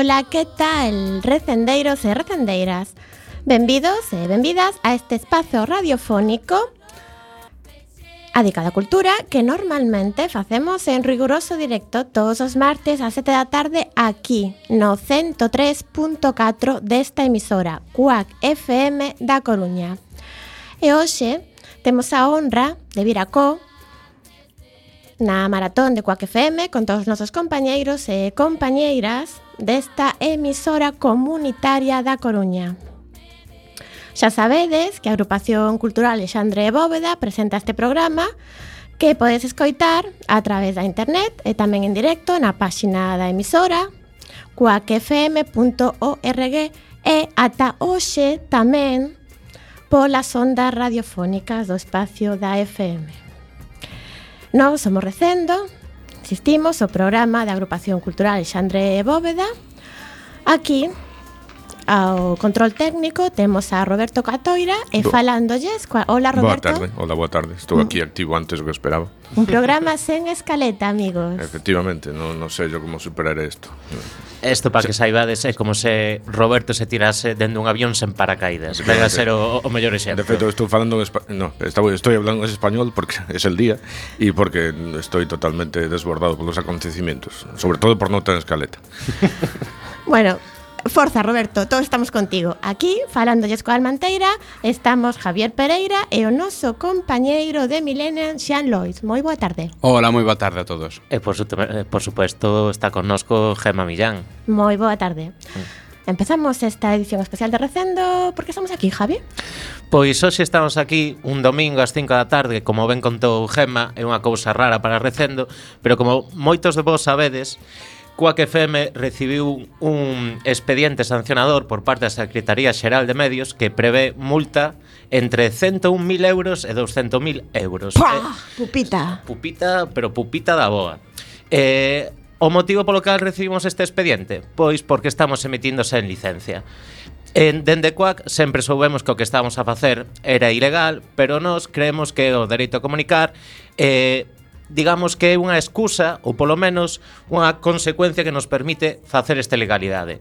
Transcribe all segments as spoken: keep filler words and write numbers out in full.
Ola, que tal, recendeiros e recendeiras? Benvidos e benvidas a este espazo radiofónico dedicado á cultura que normalmente facemos en riguroso directo todos os martes ás sete da tarde aquí no ciento tres punto catro desta emisora Cuac F M da Coruña. E hoxe temos a honra de vir acó na maratón de Cuac F M con todos os nosos compañeiros e compañeiras desta emisora comunitaria da Coruña. Xa sabedes que a Agrupación Cultural Alexandre Bóveda presenta este programa que podes escoitar a través da internet e tamén en directo na páxina da emisora cuac f m punto org e ata hoxe tamén polas ondas radiofónicas do espacio da F M. Nós somos Recendo, insistimos, o programa da Agrupación Cultural Alexandre Bóveda. Aquí ao control técnico temos a Roberto Catoira e Do... falándolles coa... Hola, Roberto. Boa tarde, hola, boa tarde. Estou aquí activo antes do que esperaba. Un programa sen escaleta, amigos. Efectivamente, non, non sei yo como superar isto. Isto, para que saibades, é como se Roberto se tirase dentro dun avión sen paracaídas. Vai a ser o, o mellor exemplo. De feito, estou falando en español. No, estou, estou hablando en español porque es el día e porque estoy totalmente desbordado polos acontecimientos, sobre todo por non ter escaleta. Bueno, forza, Roberto, todos estamos contigo. Aquí, falándolles coa Almanteira, estamos Javier Pereira e o noso compañeiro de Millennium, Xan Lois. Moi boa tarde. Hola, moi boa tarde a todos. E por, su, por supuesto está connosco Gemma Millán. Moi boa tarde. Mm. Empezamos esta edición especial de Recendo. Por que estamos aquí, Javi? Pois hoxe estamos aquí un domingo ás cinco da tarde, como ben contou Gemma, é unha cousa rara para Recendo, pero como moitos de vos sabedes, Cuac F M recibiu un expediente sancionador por parte da Secretaría Xeral de Medios que prevé multa entre ciento un mil euros e doscientos mil euros. Pua, eh, pupita. Pupita, pero pupita da boa. Eh, o motivo polo cal recibimos este expediente? Pois porque estamos emitindo sen licencia. En dende Cuac sempre soubemos que o que estábamos a facer era ilegal, pero nós creemos que o dereito a comunicar eh, digamos que é unha excusa ou polo menos unha consecuencia que nos permite facer esta legalidade.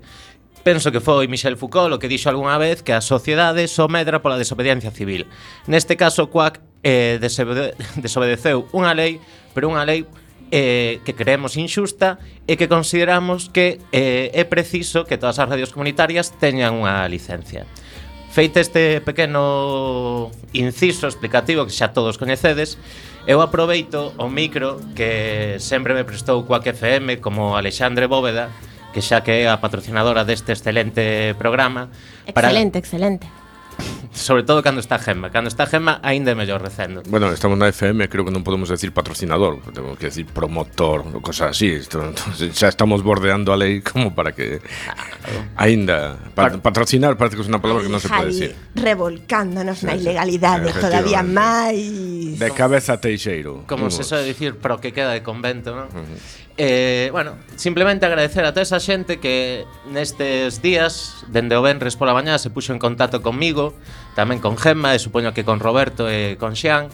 Penso que foi Michel Foucault o que dixo algunha vez que a sociedade só medra pola desobediencia civil. Neste caso, Cuac eh, desobede- desobedeceu unha lei, pero unha lei eh, que creemos injusta e que consideramos que eh, é preciso que todas as radios comunitarias teñan unha licencia. Feito este pequeno inciso explicativo que xa todos coñecedes, eu aproveito o micro que sempre me prestou Cuac F M como Alexandre Bóveda, que xa que é a patrocinadora deste excelente programa. Excelente, para... excelente. Sobre todo cando está Gemma. Cando está Gemma, aínda é mellor Recendo. Bueno, estamos na F M, creo que non podemos decir patrocinador, temos que decir promotor ou cosas así. Esto, entonces, xa estamos bordeando a lei como para que aínda pa, patrocinar parece que é unha palabra que non se pode decir. Revolcándonos sí, na ilegalidade sí, todavía máis. De cabeza teixeiro. Como se soe dicir, pro que queda de convento, non? Uh-huh. Eh, bueno, simplemente agradecer a toda esa xente que nestes días, dende o venres pola mañá, se puxo en contacto conmigo, tamén con Gemma e supoño que con Roberto e con Xian,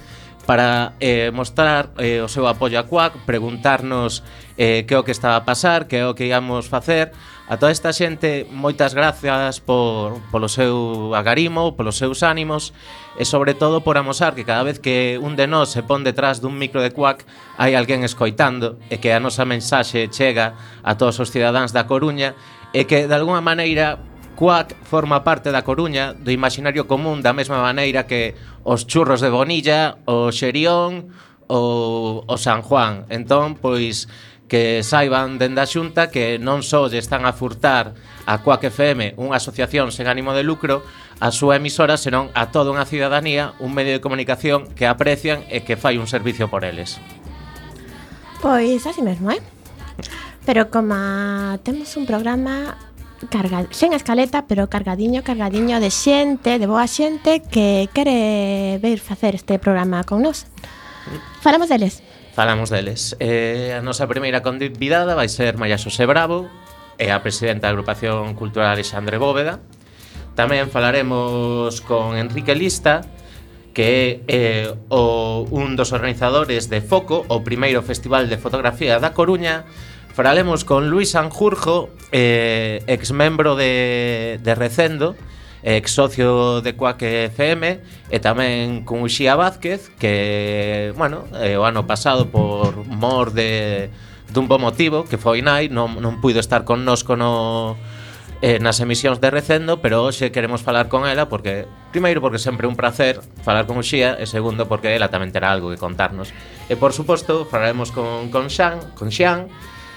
para eh, mostrar eh, o seu apoio a Cuac, preguntarnos eh, que é o que estaba a pasar, que é o que íamos facer. A toda esta xente, moitas gracias por, polo seu agarimo, polos seus ánimos e sobre todo por amosar que cada vez que un de nós se pon detrás dun micro de Cuac hai alguén escoitando e que a nosa mensaxe chega a todos os cidadáns da Coruña e que de alguna maneira Cuac forma parte da Coruña, do imaginario común, da mesma maneira que os churros de Bonilla, o Xerión ou o San Juan. Entón, pois, que saiban dende a Xunta que non só lle están a furtar a Cuac F M, unha asociación sen ánimo de lucro, a súa emisora, senón a toda unha cidadanía, un medio de comunicación que aprecian e que fai un servicio por eles. Pois así mesmo, eh? Pero como temos un programa carga, sen escaleta, pero cargadiño, cargadiño de xente, de boa xente que quere ver facer este programa con nós. Falamos deles. Falamos deles. Eh, a nosa primeira convidada vai ser María Xosé Bravo, é a presidenta da Agrupación Cultural Alexandre Bóveda. Tamén falaremos con Enrique Lista, que é eh, o, un dos organizadores de Foco, o primeiro festival de fotografía da Coruña. Falaremos con Luis Sanjurjo, eh, ex membro de, de Recendo, ex socio de Quack F M, e tamén con Uxía Vázquez, que, bueno, eh, o ano pasado por mor de dun bo motivo, que foi nai, non, non puido estar connosco no, eh, nas emisións de Recendo, pero hoxe queremos falar con ela porque, primeiro, porque sempre é un placer falar con Uxía, e segundo, porque ela tamén terá algo que contarnos. E, por suposto, falaremos con, con Xan, con Xian,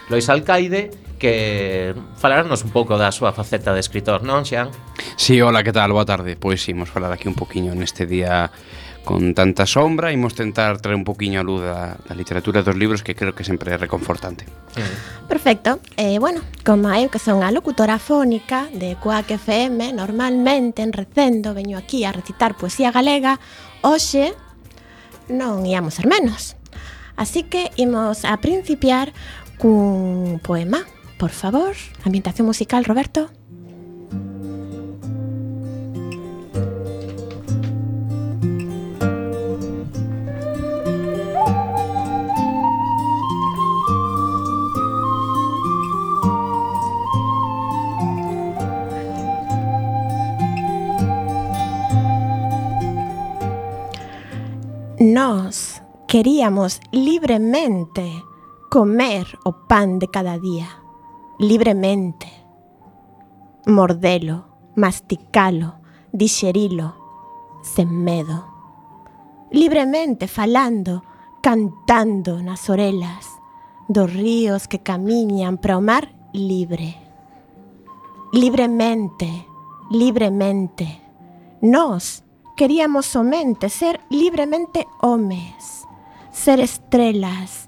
Lois Alcaide, que falarnos un pouco da súa faceta de escritor, non, Xian? Sí, hola, que tal? Boa tarde. Pois imos falar aquí un poquinho neste día con tanta sombra, imos tentar traer un poquinho a luz da, da literatura dos libros, que creo que sempre é reconfortante. Mm. Perfecto. Eh, bueno, como eu que son a locutora fónica de Quack F M, normalmente en Recendo veño aquí a recitar poesía galega, hoxe non íamos ser menos. Así que imos a principiar cun poema. Por favor, ambientación musical, Roberto. Nós queríamos libremente comer o pan de cada día, libremente, mordelo, masticalo, dixerilo, sen medo, libremente falando, cantando nas orelas dos ríos que camiñan para o mar libre. Libremente, libremente, nós queríamos somente ser libremente homes, ser estrelas,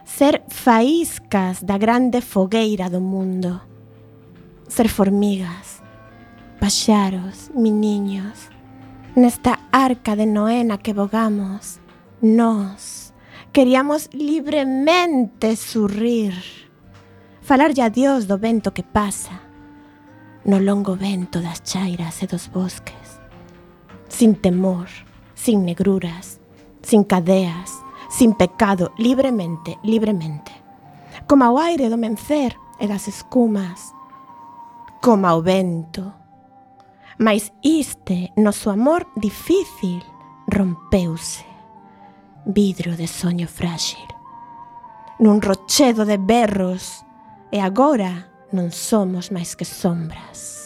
ser faíscas da grande fogueira do mundo, ser formigas, paxaros, miniños, nesta arca de Noé na que vogamos. Nós queríamos libremente surrir, falarlle a Dios do vento que pasa, no longo vento das chairas e dos bosques, sin temor, sin negruras, sin cadeas, sin pecado, libremente, libremente, como ao aire do mencer e das escumas, como ao vento. Mais iste, noso amor difícil, rompeuse, vidro de soño frágil, nun rochedo de berros, e agora non somos máis que sombras.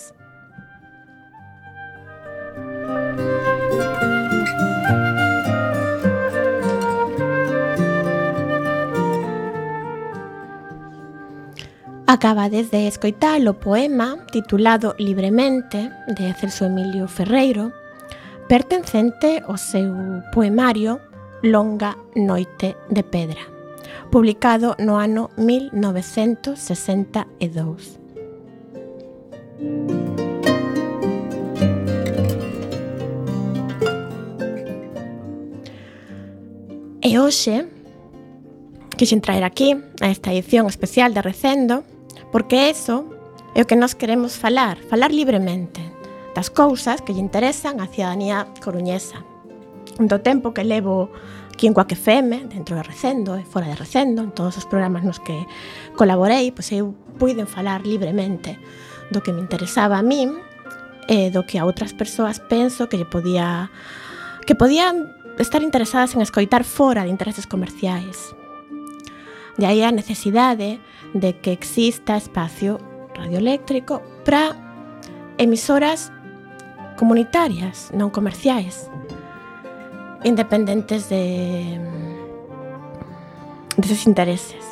Acabades de escoitar o poema titulado Libremente, de Celso Emilio Ferreiro, pertencente ao seu poemario Longa noite de pedra, publicado no ano mil novecentos sesenta e dous. E hoxe quixen traer aquí a esta edición especial de Recendo, porque eso é o que nós queremos falar, falar libremente das cousas que lle interesan á cidadanía coruñesa. Do tempo que levo aquí en Quack F M, dentro de Recendo e fora de Recendo, en todos os programas nos que colaborei, pois eu puiden falar libremente do que me interesaba a min e do que a outras persoas penso que lle podía que podían estar interesadas en escoitar fora de intereses comerciais. De aí a necesidade de que exista espacio radioeléctrico para emisoras comunitarias, non comerciais, independentes de deses intereses.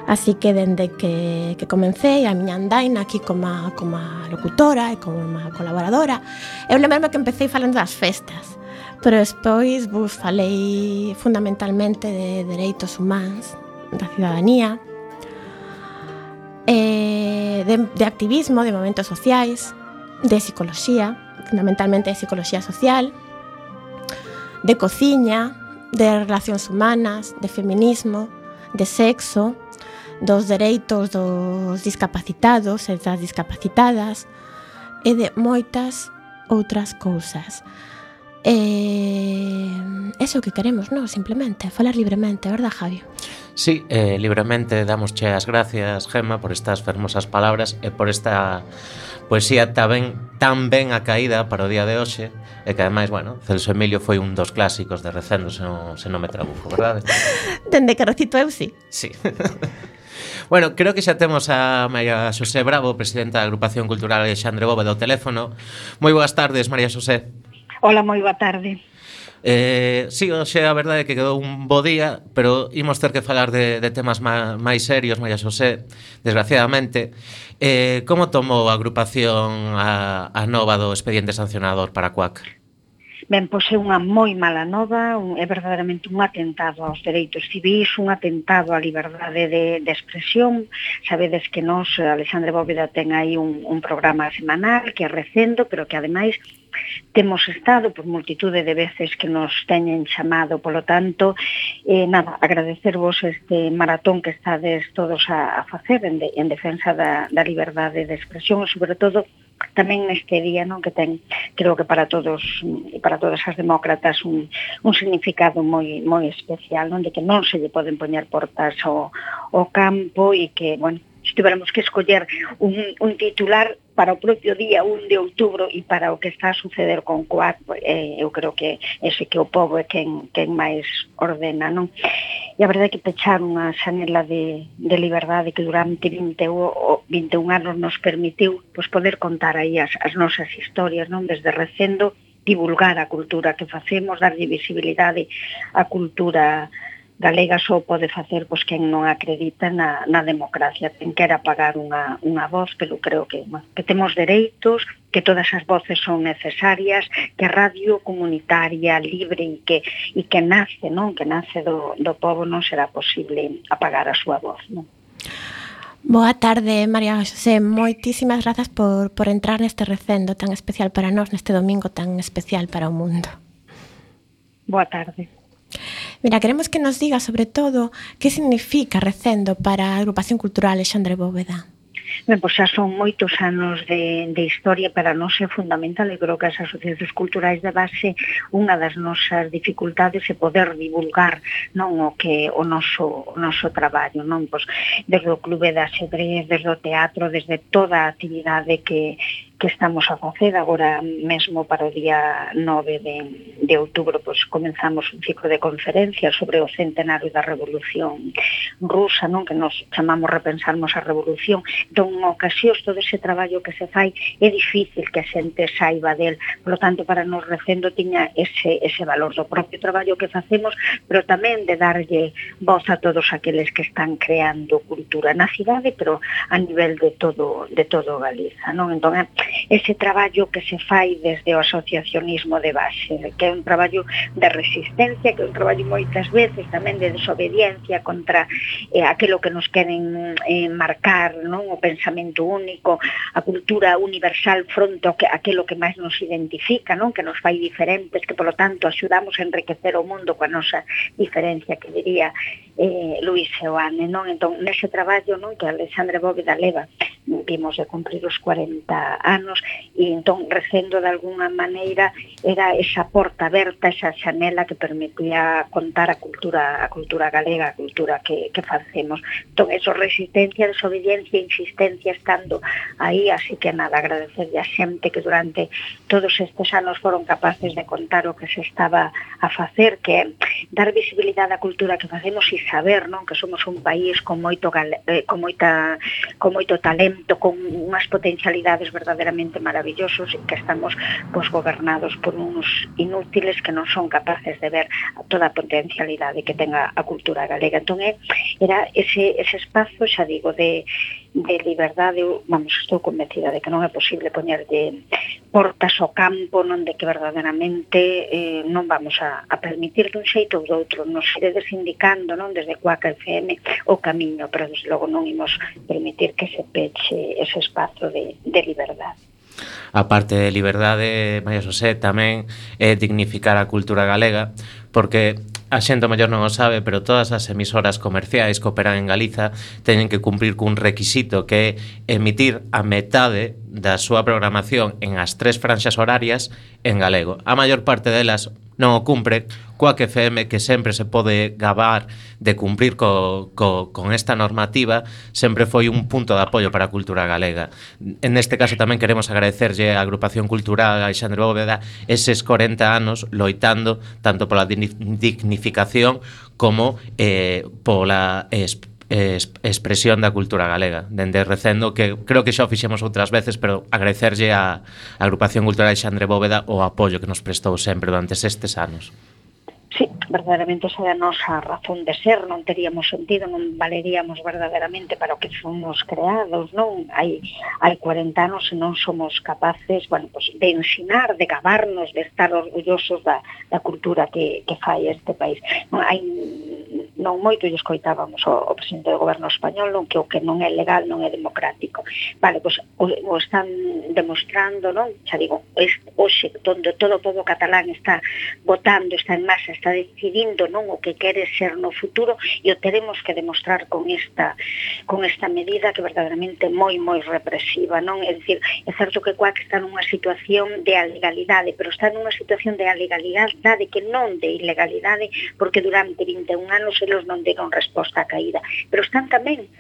Así que dende que, que comecei a miña andaina aquí como, como locutora e como colaboradora, eu lembro que empecé falando das festas, pero despois vos falei fundamentalmente de dereitos humanos, da cidadanía, eh, de, de activismo, de movimentos sociais, de psicoloxía, fundamentalmente de psicoloxía social, de cociña, de relacións humanas, de feminismo, de sexo, dos dereitos dos discapacitados e das discapacitadas e de moitas outras cousas. Eh, eso que queremos, non? Simplemente, falar libremente, verdad, Javi? Sí, eh, libremente damosche as gracias, Gemma, por estas fermosas palabras e por esta poesía tan ben, tan ben acaída para o día de hoxe, e que ademais, bueno, Celso Emilio foi un dos clásicos de Recendo, se non, se non me trabuco, verdade? Dende que recito eu, sí. Sí. Bueno, creo que xa temos a María Xosé Bravo, presidenta da Agrupación Cultural Alexandre Bóveda, do teléfono. Moi boas tardes, María Xosé. Hola, moi boa tarde. Eh, sí, hoxe a verdade é que quedou un bo día, pero imos ter que falar de, de temas má, máis serios, María Xosé, desgraciadamente. Eh, como tomou a agrupación a, a nova do expediente sancionador para Cuac? Ben, pois é unha moi mala nova, un, é verdadeiramente un atentado aos dereitos civis, un atentado á liberdade de, de expresión. Sabedes que nós, Alexandre Bóveda, ten aí un, un programa semanal que é Recendo, pero que ademais temos estado por multitude de veces que nos teñen chamado, polo tanto, eh, nada, agradecervos este maratón que estades todos a, a facer en, de, en defensa da, da liberdade de expresión e, sobre todo, tamén neste día, non, que ten, creo que para todos e para todas as demócratas un, un significado moi moi especial, non, de que non se lle poden poñer portas ao, ao campo e que, bueno, se tiveramos que escoller un, un titular para o propio día un de outubro e para o que está a suceder con Cuac, eh, eu creo que ese que o povo é quen, quen máis ordena, non? E a verdade é que pechar unha xanela de, de liberdade que durante vinte ou vinte e un anos nos permitiu pois, poder contar aí as, as nosas historias, non? Desde Recendo, divulgar a cultura que facemos, darlle visibilidade á cultura galega só pode facer pois, quen non acredita na, na democracia, quen quera pagar unha, unha voz, pero creo que, bueno, que temos dereitos, que todas as voces son necesarias, que a radio comunitaria, libre e que, e que nace, non? Que nace do, do povo, non será posible apagar a súa voz, non? Boa tarde, María Xosé. Moitísimas grazas por, por entrar neste recendo tan especial para nós, neste domingo tan especial para o mundo. Boa tarde. Mira, queremos que nos diga, sobre todo, que significa Recendo para a Agrupación Cultural Alexandre Bóveda. Ben, pois xa son moitos anos de, de historia, para nós é fundamental, e creo que as asociacións culturais de base, unha das nosas dificultades é poder divulgar, non, o que o noso, o noso traballo, non, pois desde o clube de ajedrez, desde o teatro, desde toda a actividade que que estamos a facer agora mesmo para o día nove de, de outubro, pois comenzamos un ciclo de conferencias sobre o centenario da Revolución Rusa, non, que nos chamamos Repensarmos a Revolución. Entón, en ocasións, todo ese traballo que se fai é difícil que a xente saiba del, por lo tanto, para nos Recendo tiña ese, ese valor do propio traballo que facemos, pero tamén de darlle voz a todos aqueles que están creando cultura na cidade, pero a nivel de todo, de todo Galiza, non? Entón, ese traballo que se fai desde o asociacionismo de base, que é un traballo de resistencia, que é un traballo moitas veces tamén de desobediencia contra eh, aquilo que nos queren eh, marcar, non, o pensamento único, a cultura universal fronte ao que, aquilo que máis nos identifica, non, que nos fai diferentes, que polo tanto axudamos a enriquecer o mundo coa nosa diferencia, que diría eh, Luis Seoane, non? Entón, nese traballo, non, que Alexandre Bóveda leva, vimos de cumprir os cuarenta anos, e entón Recendo de alguna maneira era esa porta aberta, esa xanela que permitía contar a cultura a cultura galega, a cultura que, que facemos. Entón, eso, resistencia, desobediencia e insistencia estando aí, así que nada, agradecerle a xente que durante todos estes anos foron capaces de contar o que se estaba a facer, que é dar visibilidade á cultura que facemos e saber, non, que somos un país con moito gale, eh, con moita con moito talento, con unhas potencialidades verdadeiramente maravillosos, e que estamos pois, gobernados por uns inútiles que non son capaces de ver toda a potencialidade que tenga a cultura galega. Entón, era ese, ese espazo, xa digo, de, de liberdade. Vamos, estou convencida de que non é posible poñerlle portas ao campo, non, de que verdadeiramente eh, non vamos a, a permitir dun xeito ou do outro. Nos iredes indicando, non, desde Cuac F M o camiño, pero desde logo non imos permitir que se peche ese espazo de, de liberdade. A parte de liberdade, María Xosé, tamén é dignificar a cultura galega, porque a xente mellor non o sabe, pero todas as emisoras comerciais que operan en Galiza teñen que cumprir cun requisito, que é emitir a metade da súa programación en as tres franxas horarias en galego. A maior parte delas non o cumpre, Quack F M, que sempre se pode gabar de cumprir co, co, con esta normativa, sempre foi un punto de apoio para a cultura galega. En este caso tamén queremos agradecerlle á Agrupación Cultural Alexandre Bóveda eses corenta anos loitando tanto pola dignificación como eh, pola exp expresión da cultura galega. Dende recendo, que creo que xa o fixemos outras veces, pero agradecerlle á Agrupación Cultural Alexandre Bóveda o apoio que nos prestou sempre durante estes anos. Sí, verdadeiramente esa é a nosa razón de ser, non teríamos sentido, non valeríamos verdadeiramente para o que fomos creados, non? Hai, hai cuarenta anos e non somos capaces, bueno, pues, de ensinar, de gabarnos, de estar orgullosos da, da cultura que, que fai este país. Non, hai, non moito lle escoitábamos o, o presidente do goberno español, non, que o que non é legal non é democrático. Vale, pois pues, o, o están demostrando, non? Xa digo, hoxe, onde todo o povo catalán está votando, está en masa, está decidindo, non, o que quere ser no futuro, e o teremos que demostrar con esta con esta medida que verdadeiramente é moi moi represiva, non? É dicir, é certo que Quack está nunha situación de alegalidade, pero está nunha situación de alegalidade que non de ilegalidade, porque durante vinte e un anos eles non deron resposta á caída, pero están tamén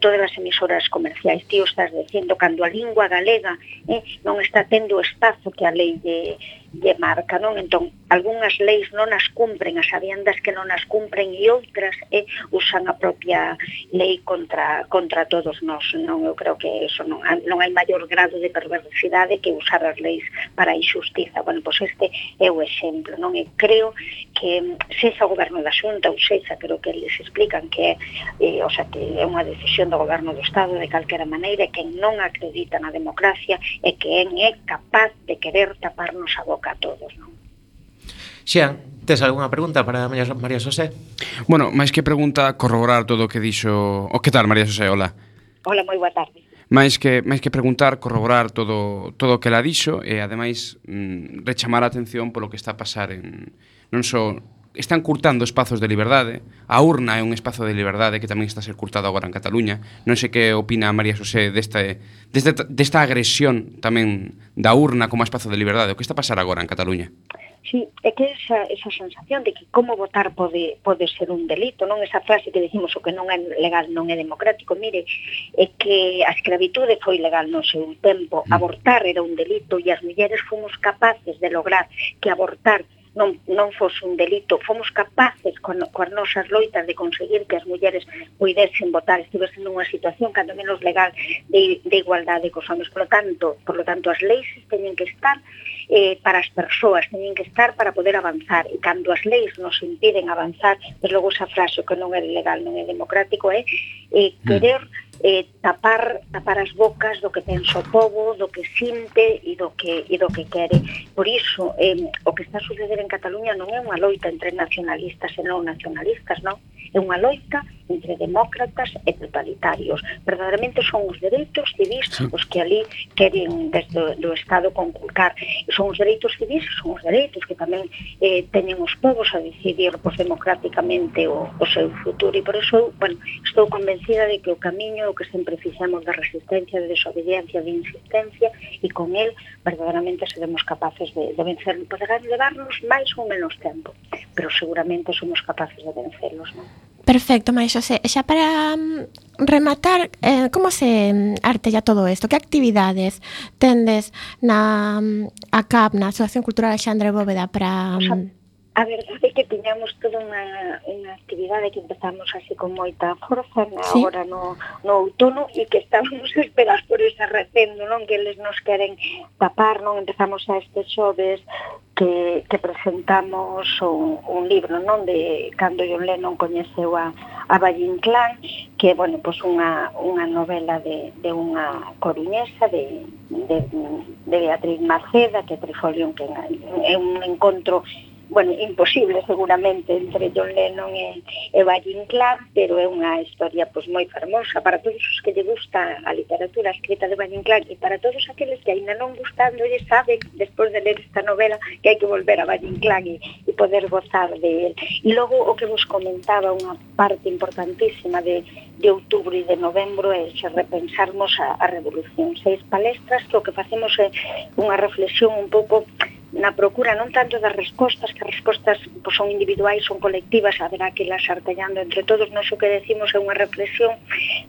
todas as emisoras comerciais. Tío, estás dicindo, cando a lingua galega eh, non está tendo o espazo que a lei de, de marca, non? Entón, algunhas leis non as cumpren, as sabiendas que non as cumpren, e outras eh, usan a propia lei contra, contra todos nós, non? Eu creo que eso non, non hai maior grado de perversidade que usar as leis para a injustiza. Bueno, pois este é o exemplo, non? E creo que sexa o goberno da Xunta ou sexa, creo que eles explican que é, eh, o sea, que é unha decisión do goberno do Estado de calquera maneira, que non acredita na democracia e que é capaz de querer taparnos a boca a todos, non? Xian, tes algunha pregunta para María Xosé? Bueno, máis que pregunta, corroborar todo o que dixo... O que tal, María Xosé? Hola. Hola, moi boa tarde. máis que máis que preguntar, corroborar todo todo o que ela dixo e ademais mm, rechamar a atención polo que está a pasar en non só están curtando espazos de liberdade. A urna é un espazo de liberdade que tamén está a ser curtado agora en Cataluña. Non sei que opina María Xosé desta, desta, desta agresión tamén da urna como espazo de liberdade. O que está a pasar agora en Cataluña? Sí, é que esa, esa sensación de que como votar pode, pode ser un delito, non? Esa frase que decimos o que non é legal non é democrático. Mire, é que a escravitude foi legal no seu tempo, abortar era un delito e as mulleres fomos capaces de lograr que abortar non, non fose un delito, fomos capaces con, con as nosas loitas de conseguir que as mulleres puidesen votar, estivesen nunha situación cando menos legal de, de igualdade cos homens. Por lo tanto, por lo tanto, as leis teñen que estar eh, para as persoas, teñen que estar para poder avanzar, e cando as leis nos impiden avanzar, pues logo esa frase que non é legal, non é democrático, é eh, querer eh, tapar tapar as bocas do que pensa o povo, do que sinte e do que e do que quere. Por iso, eh, o que está a suceder en Cataluña non é unha loita entre nacionalistas e non nacionalistas, non? É unha loita entre demócratas e totalitarios. Verdadeiramente son os dereitos civis os que ali queren desde do Estado conculcar. Son os dereitos civis, son os dereitos que tamén eh, teñen os povos a decidir pues, democráticamente o, o seu futuro. E por iso, bueno, estou convencida de que o camiño o que sempre fixemos de resistencia, de desobediencia, de insistencia, e con el verdadeiramente seremos capaces de, de vencer. Poderán levarnos máis ou menos tempo, pero seguramente somos capaces de vencerlos, non? Perfecto, María Xosé. Xa para um, rematar, eh, como se um, artella todo isto? Que actividades tendes na um, A C A P, na Asociación Cultural Alexandre Bóveda, para... Um... A verdade é que tiñamos toda unha, unha actividade que empezamos así con moita forza na, sí. Agora no, no outono, e que estábamos a esperar por ese recendo, non? Que eles nos queren tapar, non? Empezamos a estes xoves que, que presentamos un, un libro, non? De cando John Lennon coñeceu a, a Valle Inclán, que é, bueno, pues unha, unha novela de, de unha coruñesa, de, de, de Beatriz Maceda, que é Trifolium, que é un encontro, bueno, imposible seguramente entre John Lennon e, e Valle Inclán, pero é unha historia pues, moi fermosa para todos os que lle gusta a literatura escrita de Valle Inclán, e para todos aqueles que ainda non gustándolle saben, despois de ler esta novela, que hai que volver a Valle Inclán e, e poder gozar de él. E logo o que vos comentaba, unha parte importantísima de, de outubro e de novembro é se repensarmos a, a revolución. Seis palestras que o que facemos é unha reflexión un pouco na procura non tanto das respostas, que as respostas pois, son individuais, son colectivas, haberá que las artellando entre todos, non o que decimos é unha reflexión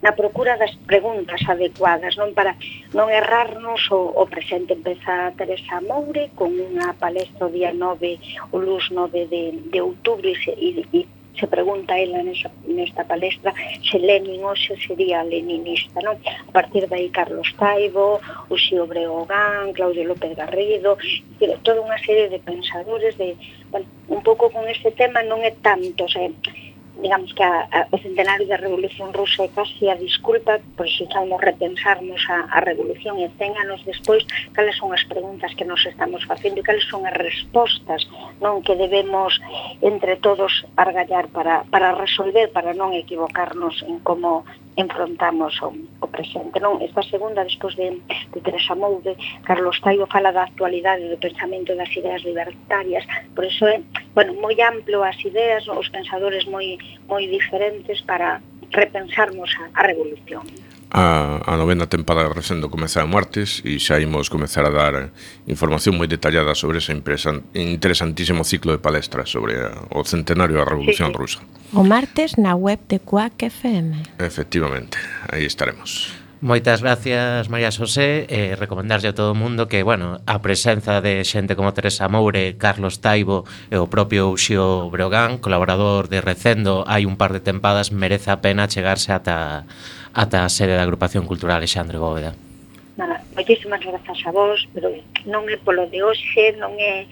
na procura das preguntas adecuadas, non para non errarnos o, o presente. Empeza Teresa Moure con unha palestra o día nove, o luz nove de, de outubro e, se, e, e se pregunta ela nesa, nesta palestra se Lenin hoxe sería leninista, non? A partir de aí Carlos Taibo, Uxío Breogán, Claudio López Garrido, toda unha serie de pensadores de, bueno, un pouco con este tema non é tanto, o sea, digamos que a, a, o centenario da Revolución Rusa é casi a disculpa, por se estamos repensarnos a, a Revolución e cen anos despois, cales son as preguntas que nos estamos facendo e cales son as respostas non que debemos entre todos argallar para, para resolver, para non equivocarnos en como enfrontamos o, o presente. Non? Esta segunda, despois de, de Teresa Moure, Carlos Taibo fala da actualidade do pensamento das ideas libertarias, por iso é, bueno, moi amplo as ideas, os pensadores moi moi diferentes para repensarmos a, a revolución. A, a novena tempada de Resendo comeza o martes e xa imos comezar a dar información moi detallada sobre ese interesantísimo ciclo de palestras sobre o centenario da Revolución sí, sí. Rusa. O martes na web de Quack F M. Efectivamente, aí estaremos. Moitas gracias, María Xosé, e eh, recomendarlle a todo o mundo que, bueno, a presenza de xente como Teresa Moure, Carlos Taibo e o propio Uxío Breogán, colaborador de Recendo, hai un par de tempadas, merece a pena chegarse ata, ata a sede da Agrupación Cultural Alexandre Bóveda. Nada, moitísimas grazas a vos, pero non é polo de hoxe, non é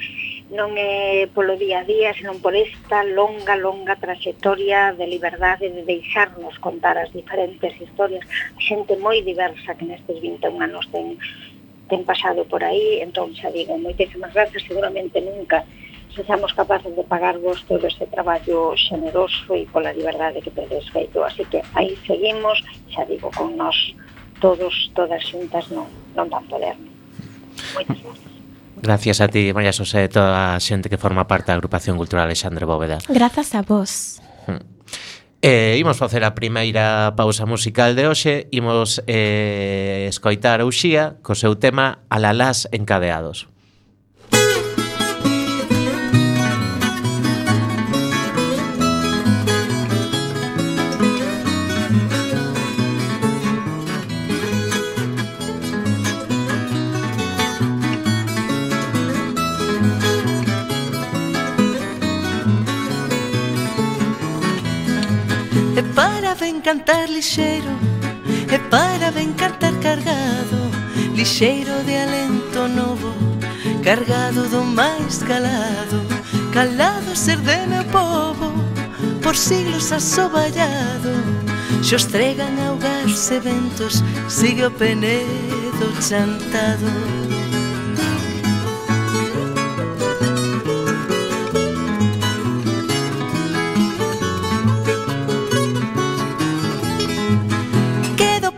non é polo día a día, senón por esta longa, longa trayectoria de liberdade, de deixarnos contar as diferentes historias, a xente moi diversa que nestes vinte e un anos ten, ten pasado por aí, entón xa digo, moitísimas grazas, seguramente nunca sexamos capaces de pagarvos todo este traballo xeneroso e pola liberdade que tedes feito, así que aí seguimos, xa digo, con nós todos, todas xuntas non, non van poder. Moitas grazas. Gracias a ti, María Xosé, e toda a xente que forma parte da Agrupación Cultural Alexandre Bóveda. Grazas a vos. Eh, imos facer a primeira pausa musical de hoxe, imos eh, escoitar a Uxía co seu tema Alalás encadeados. Cantar lixeiro, e para ben cantar cargado, lixeiro de alento novo, cargado do máis calado, calado ser de meu povo, por siglos asoballado, xos tregan augas e ventos, sigue o penedo chantado.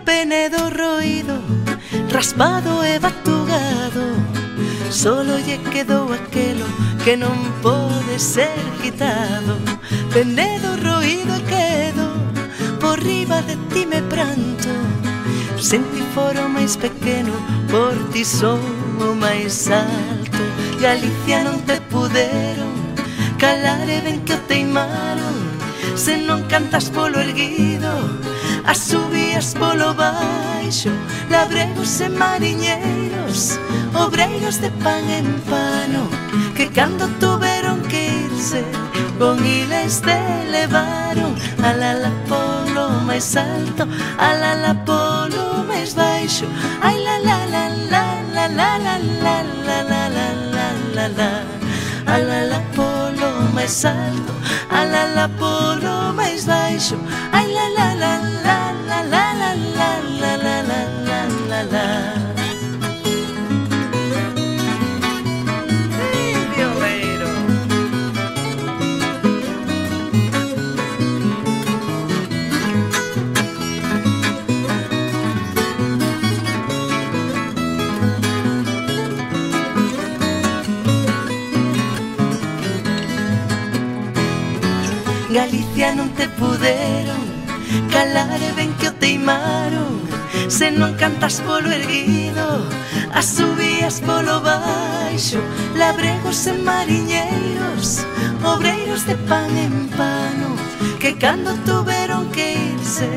Penedo roído, raspado e batugado, solo lle quedou aquelo que non pode ser quitado. Penedo roído quedo, por riba de ti me pranto, senti foro máis pequeno, por ti son o máis alto. Galicia non te puderon calar e ben que o teimaron, se non cantas polo erguido, as subías polo baixo, labregos e mariñeiros, obreiros de pan en pano, que cando tuveron que irse, con iles te levaron, alala polo máis alto, alala polo máis baixo, ai la la la la la la la la la la la la la, alala polo máis alto, alala polo máis baixo, ai la la la la la la la la la la la la la. Galicia non te puderon calar e ben que o teimaron, Se non cantas polo erguido, as subías polo baixo, labregos e mariñeiros, obreiros de pan en pano, que cando tuveron que irse,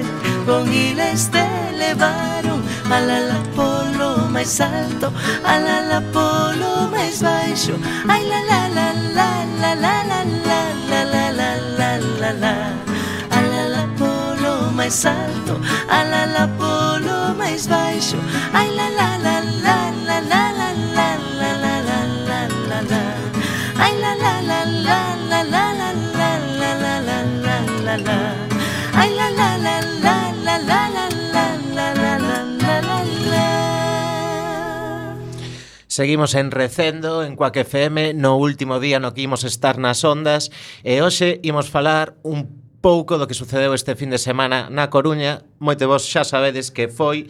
con hiles te levaron, alala polo máis alto, alala polo máis baixo, ai la la la la la la la la la la la la la la, alala polo máis alto, alala polo máis baixo, ai la la la la la la la la la la la la la la, ai la la la la la la la la la la la la la, ai la la la la la la la la la la la la la. Seguimos en Recendo, en Cuac F M, no último día no que imos estar nas ondas, e hoxe imos falar un pouco do que sucedeu este fin de semana na Coruña. Moito vos xa sabedes que foi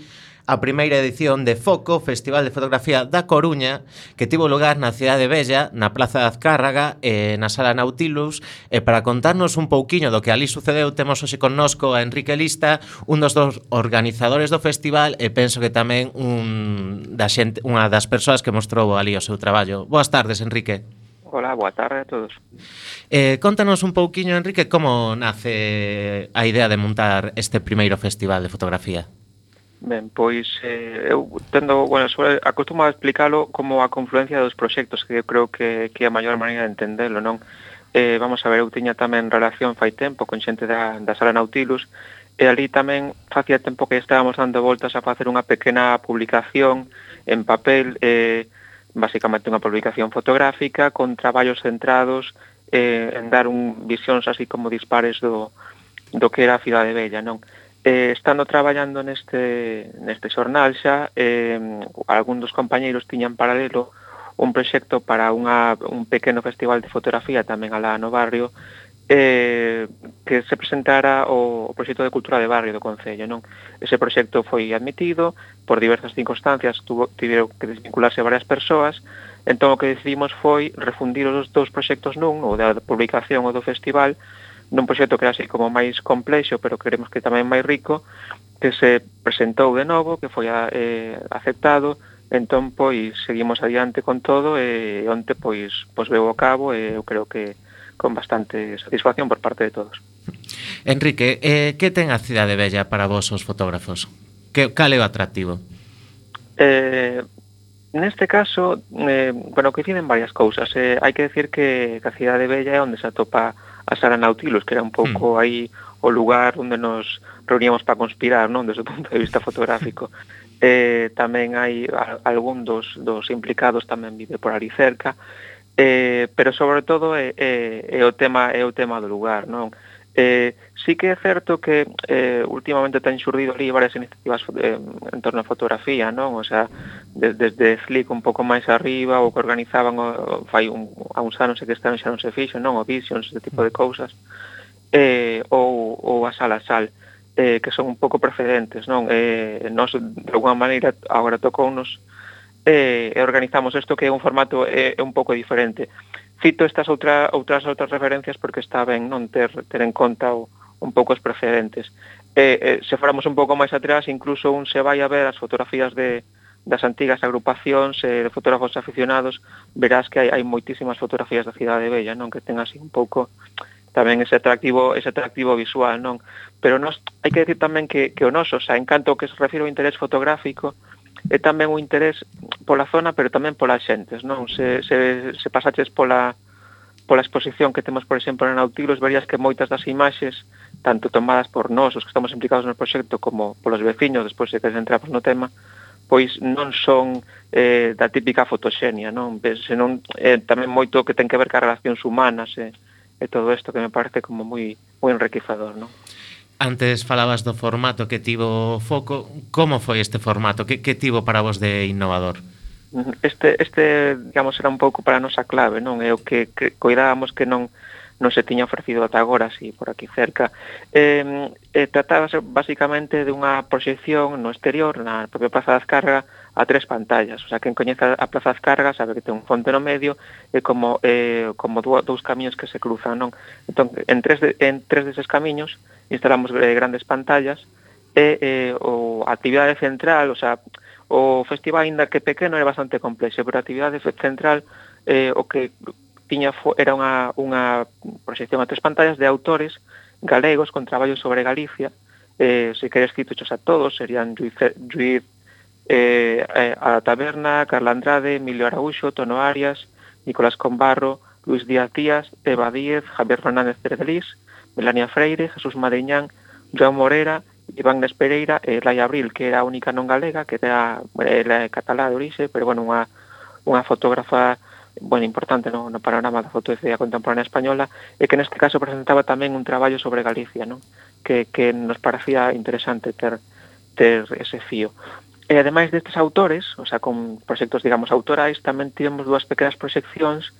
a primeira edición de Foco, Festival de Fotografía da Coruña, que tivo lugar na Cidade Bella, na Plaza de Azcárraga e na Sala Nautilus. E para contarnos un pouquiño do que ali sucedeu, temos hoxe connosco a Enrique Lista, un dos dos organizadores do festival, e penso que tamén un da xente, unha das persoas que mostrou ali o seu traballo. Boas tardes, Enrique. Hola, boa tarde a todos. Eh, contanos un pouquiño, Enrique, como nace a idea de montar este primeiro festival de fotografía. Ben, pois eh, eu tendo, bueno, sobre, acostumo a explicalo como a confluencia dos proxectos, que eu creo que, que é a maior maneira de entendelo, non? Eh, vamos a ver, eu tiña tamén relación fai tempo con xente da, da Sala Nautilus, e ali tamén facía tempo que estábamos dando voltas a facer unha pequena publicación en papel, eh, basicamente unha publicación fotográfica con traballos centrados eh, en dar un visións así como dispares do, do que era a Cidade Bella, non? Eh, estando traballando neste, neste xornal xa, eh, algún dos compañeiros tiñan paralelo un proxecto para unha, un pequeno festival de fotografía tamén alá no barrio, eh, que se presentara o, o proxecto de cultura de barrio do Concello, non? Ese proxecto foi admitido, por diversas circunstancias tuvo, tiveron que desvincularse varias persoas, entón o que decidimos foi refundir os dous proxectos nun, o da publicación ou do festival, nun proxecto que era así como máis complexo, pero queremos que tamén máis rico, que se presentou de novo, que foi eh, aceptado, entón, pois, seguimos adiante con todo, e onte, pois, pois veo a cabo, e eu creo que con bastante satisfacción por parte de todos. Enrique, eh, que ten a Cidade Bella para vos os fotógrafos? Que, cal é o atractivo? Eh, neste caso, eh, bueno, coinciden varias cousas. Eh, hai que decir que, que a Cidade Bella é onde se atopa a Sala Nautilus, que era un pouco mm. aí o lugar onde nos reuníamos para conspirar, non, desde o punto de vista fotográfico. Eh, tamén hai a, algún dos, dos implicados tamén vive por ali cerca, eh, pero sobre todo é, é, é o tema é o tema do lugar, non? Eh, sí que é certo que eh, últimamente ten xurdido ali varias iniciativas eh, en torno a fotografía, non? O sea, de, desde Flick un pouco máis arriba, o que organizaban o, fai un, a uns anos e que este ano xa non se fixo, non? O Visions, ese tipo de cousas, eh, ou, ou a Sala Sal, eh, que son un pouco precedentes, non? Eh, nos, de alguma maneira, agora tocounos e eh, organizamos isto que é un formato é, é un pouco diferente. Cito estas outra, outras outras referencias porque está ben non ter, ter en conta o, un pouco os precedentes. Eh, eh, se fóramos un pouco máis atrás, incluso un se vai a ver as fotografías de, das antigas agrupacións eh, de fotógrafos aficionados, verás que hai, hai moitísimas fotografías da Cidade Bella, non? Que ten así un pouco tamén ese atractivo ese atractivo visual, non? Pero nos, hai que decir tamén que, que o noso, o sea, en canto que se refire ao interés fotográfico, é tamén un interés pola zona, pero tamén polas xentes, non? Se, se, se pasaches pola, pola exposición que temos, por exemplo, na Nautilus, verías que moitas das imaxes, tanto tomadas por nós, os que estamos implicados no proxecto, como polos veciños, despois de que entramos no tema, pois non son eh, da típica fotoxenia, non? Senón eh, tamén moito que ten que ver ca relacións humanas e, e todo isto que me parece como moi moi enriquecedor, non? Antes falabas do formato que tivo Foco. Como foi este formato? Que, que tivo para vos de innovador? Este, este, digamos, era un pouco para a nosa clave, non? É o que, que coidábamos que non non se tiña ofrecido ata agora, así, por aquí cerca. Eh, eh, tratábase basicamente de unha proxección no exterior, na propia Plaza de Azcárraga, a tres pantallas. O sea, quen coñeza a Plaza de Azcárraga sabe que ten un fonte no medio e como, eh, como dous camiños que se cruzan, non? Entón, en tres, de, en tres deses camiños instalamos eh, grandes pantallas e eh, o a actividade central, o sea, o festival, ainda que pequeno, era bastante complexo, pero a actividade central eh, o que tiña era unha, unha proxección a tres pantallas de autores galegos con traballos sobre Galicia. Eh, se queres citochos a todos, serían Lluís, Lluís eh, eh, a Taberna, Carla Andrade, Emilio Araúxo, Tono Arias, Nicolás Combarro, Luis Díaz Díaz, Eva Díez, Javier Fernández Cerdelís, Melania Freire, Jesús Madriñán, Joan Morera, Iván Nes Pereira e Laia Abril, que era a única non galega, que era, era catalá de orixe, pero bueno, unha, unha fotógrafa bueno, importante no, no panorama da fotografía contemporánea española, e que neste caso presentaba tamén un traballo sobre Galicia, non? Que, que nos parecía interesante ter, ter ese fío. E ademais destes autores, o sea, con proxectos, digamos, autorais, tamén tivemos dúas pequenas proxeccións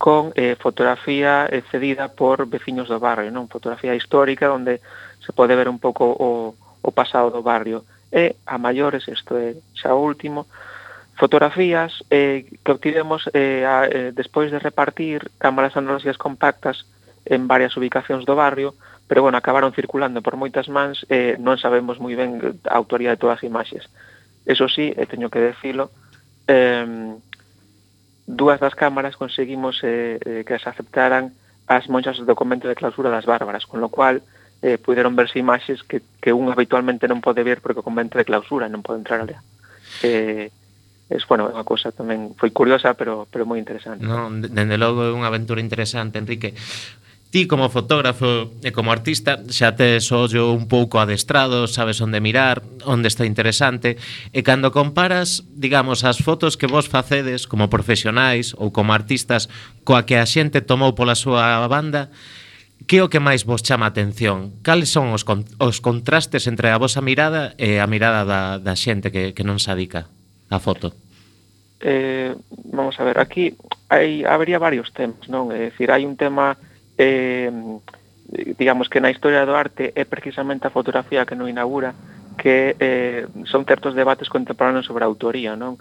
con eh, fotografía eh, cedida por veciños do barrio, non? Fotografía histórica, onde se pode ver un pouco o, o pasado do barrio. E a maiores, isto é xa o último, fotografías eh, que obtivemos eh, a, eh, despois de repartir cámaras analóxicas compactas en varias ubicacións do barrio, pero bueno, acabaron circulando por moitas mans e eh, non sabemos moi ben a autoría de todas as imaxes. Eso sí, eh, teño que decilo, eh, dúas das cámaras conseguimos eh, eh, que se aceptaran as monxas do convento de clausura das Bárbaras, con lo cual eh, puderon verse imaxes que, que un habitualmente non pode ver porque o convento de clausura non pode entrar alea. Eh, es, bueno, é unha cousa tamén foi curiosa, pero, pero moi interesante. Non, dende logo é unha aventura interesante, Enrique. Ti como fotógrafo e como artista xa tes o ollo un pouco adestrado, sabes onde mirar, onde está interesante, e cando comparas, digamos, as fotos que vos facedes como profesionais ou como artistas coa que a xente tomou pola súa banda, que é o que máis vos chama a atención? Cales son os, con, os contrastes entre a vosa mirada e a mirada da, da xente que, que non se adica a foto? Eh, vamos a ver, aquí hai, habría varios temas, non? É dicir, hai un tema... Eh, digamos que na historia do arte é precisamente a fotografía que non inaugura, que eh, son certos debates contemporáneos sobre a autoría, non?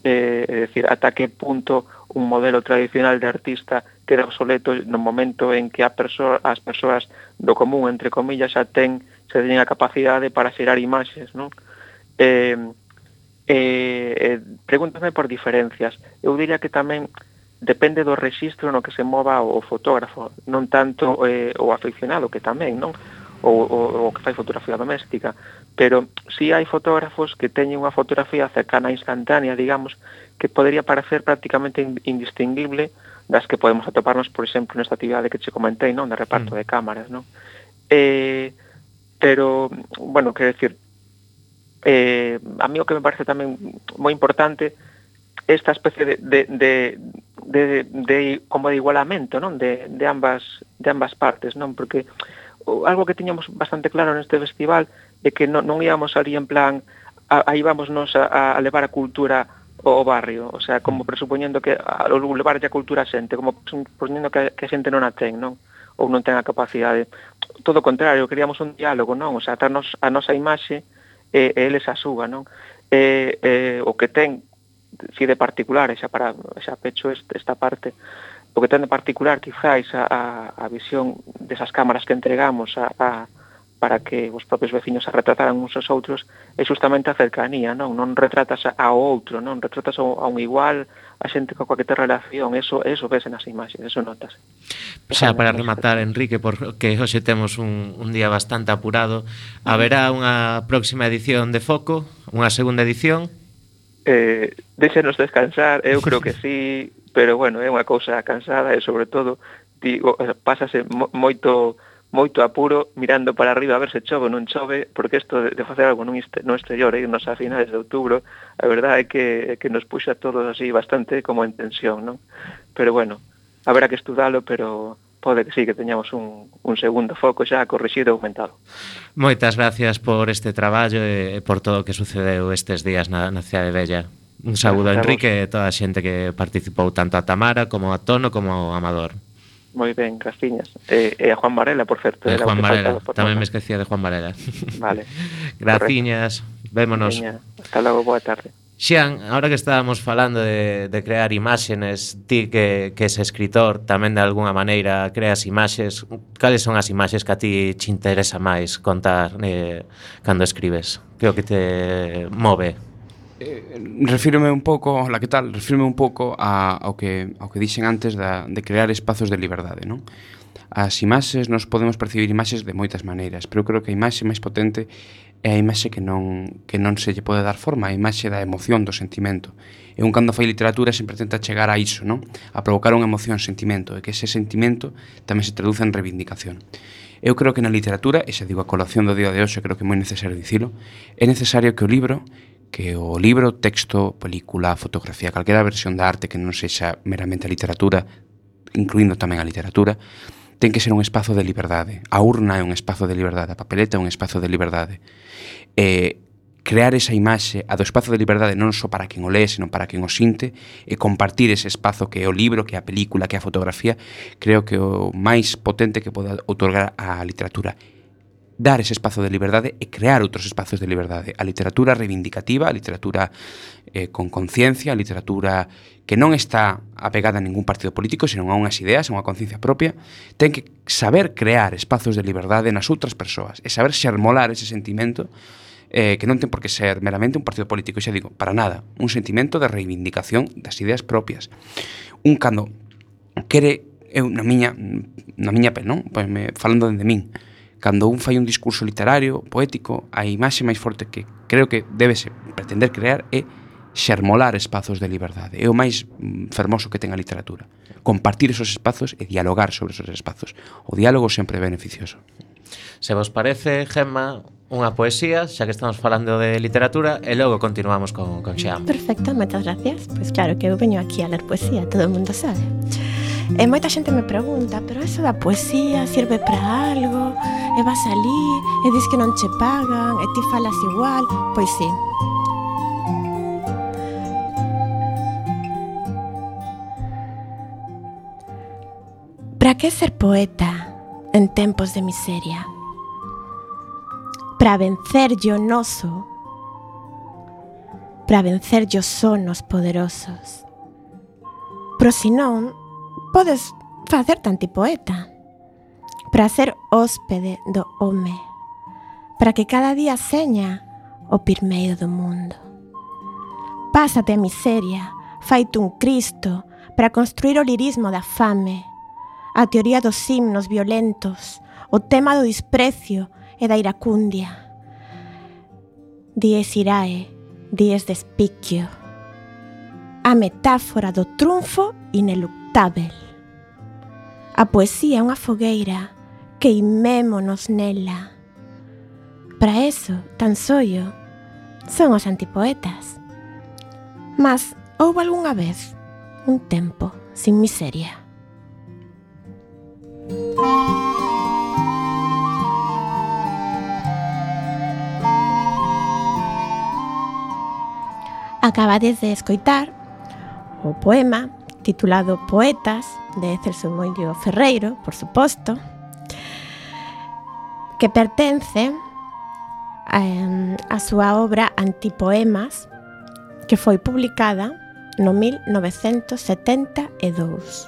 Eh, é dicir, ata que punto un modelo tradicional de artista queda obsoleto no momento en que a perso as persoas do común, entre comillas, xa ten, xa teñen a capacidade para xerar imaxes, non? Eh, eh, eh, pregúntame por diferencias. Eu diría que tamén depende do rexistro no que se mova o fotógrafo, non tanto eh, o aficionado, que tamén, non? O, o, o que fai fotografía doméstica, pero si hai fotógrafos que teñen unha fotografía cercana instantánea, digamos, que podería parecer prácticamente indistinguible das que podemos atoparnos, por exemplo, nesta actividade que che comentei, non? De reparto mm. de cámaras, non? Eh, pero, bueno, quero decir, eh, a mí o que me parece tamén moi importante esta especie de, de, de, de, de como de igualamento, non? De, de ambas de ambas partes, non? Porque algo que tiñamos bastante claro neste festival é que non, non íamos ali en plan a, aí vámonos a, a levar a cultura ao barrio, o sea, como presupoñendo que a levar a cultura a xente, como presupoñendo que, que a xente non a ten, non? Ou non ten a capacidade. Todo o contrario, queríamos un diálogo, non? O sea, atarnos a nosa imaxe e, e eles a súa, non? E, e, o que ten si de particular, xa para xa pecho este, esta parte, o que ten de particular quizáis a, a, a visión desas cámaras que entregamos a, a, para que os propios veciños se retrataran uns aos outros é justamente a cercanía, non? Non retratas ao outro, non? Retratas a un igual, a xente coa que te relación, eso, eso ves nas imaxes, eso notas. Xa para rematar, Enrique, porque hoxe temos un, un día bastante apurado, haberá unha próxima edición de Foco, unha segunda edición? Eh, déxenos descansar, eu creo que sí, pero bueno, é unha cousa cansada e sobre todo digo, pásase mo, moito moito apuro mirando para arriba a ver se chove ou non chove, porque isto de, de facer algo no, no exterior, e irnos a finales de outubro, a verdade é que, que nos puxa todos así bastante como en tensión, non? Pero bueno, haberá que estudalo, pero pode que sí, que teñamos un, un segundo foco xa corrixido e aumentado. Moitas gracias por este traballo e por todo o que sucedeu estes días na, na Cidade Bella. Un saúdo a Enrique e toda a xente que participou, tanto a Tamara como a Tono como a Amador. Moi ben, graciñas. E, e a Juan Varela, por certo. E Juan Varela, tamén me esquecía de Juan Varela. Vale. Graciñas, vémonos. Veña, hasta logo, boa tarde. Xian, ahora que estábamos falando de, de crear imágenes, ti que, que es escritor, tamén de alguna maneira creas imaxes, cales son as imaxes que a ti te interesa máis contar eh, cando escribes? Que o que te move? Eh, refírome un pouco, la que tal, refírome un pouco a, ao que ao que dixen antes da, de crear espazos de liberdade, non? As imaxes, nos podemos percibir imaxes de moitas maneiras, pero creo que a imaxe máis potente é a imaxe que non, que non se lle pode dar forma, a imaxe da emoción, do sentimento. E un cando fai literatura sempre tenta chegar a iso, non? A provocar unha emoción, sentimento, e que ese sentimento tamén se traduce en reivindicación. Eu creo que na literatura, e xa digo a colación do día de hoxe, creo que é moi necesario dicilo, é necesario que o libro, que o libro, texto, película, fotografía, calquera versión da arte que non sexa meramente a literatura, incluindo tamén a literatura, ten que ser un espazo de liberdade. A urna é un espazo de liberdade, a papeleta é un espazo de liberdade. Eh, crear esa imaxe, a do espazo de liberdade non só para quen o lee, sino para quen o sinte, e compartir ese espazo que é o libro, que é a película, que é a fotografía, creo que é o máis potente que pode outorgar a literatura. Dar ese espazo de liberdade e crear outros espazos de liberdade. A literatura reivindicativa, a literatura eh, con conciencia, a literatura que non está apegada a ningún partido político, senón a unhas ideas, a unha conciencia propia, ten que saber crear espazos de liberdade nas outras persoas e saber xermolar ese sentimento eh, que non ten por que ser meramente un partido político, xa digo, para nada, un sentimento de reivindicación das ideas propias. Un cando quere, eu na miña, na miña pel, non? Pois me, falando dende min, cando un fai un discurso literario, poético, a imaxe máis forte que creo que debese pretender crear é xermolar espazos de liberdade. É o máis fermoso que ten a literatura. Compartir esos espazos e dialogar sobre esos espazos. O diálogo sempre é beneficioso. Se vos parece, Gemma, unha poesía, xa que estamos falando de literatura, e logo continuamos con, con Xian. Perfecto, moitas gracias. Pois claro que eu veño aquí a ler poesía, todo o mundo sabe. E moita xente me pregunta, pero eso da poesía sirve para algo? E vas alí e dis que non che pagan e ti falas igual? Pois sí. Para que ser poeta en tempos de miseria? Para vencer yo noso, para vencer yo sonos poderosos. Pero si non, podes facer tanti poeta para ser hóspede do home, para que cada día seña o pirmeiro do mundo. Pásate a miseria, faite un Cristo para construir o lirismo da fame, a teoría dos himnos violentos, o tema do desprecio e da iracundia. Dies irae, dies despiquio, a metáfora do triunfo ineluctável. A poesía é unha fogueira, queimémonos nela. Para eso, tan sollo, son os antipoetas. Mas houbo algunha vez un tempo sin miseria. Acabades de escoitar o poema titulado Poetas, de Celso Moillo Ferreiro, por suposto, que pertence eh, a súa obra Antipoemas, que foi publicada no mil novecentos setenta e dous.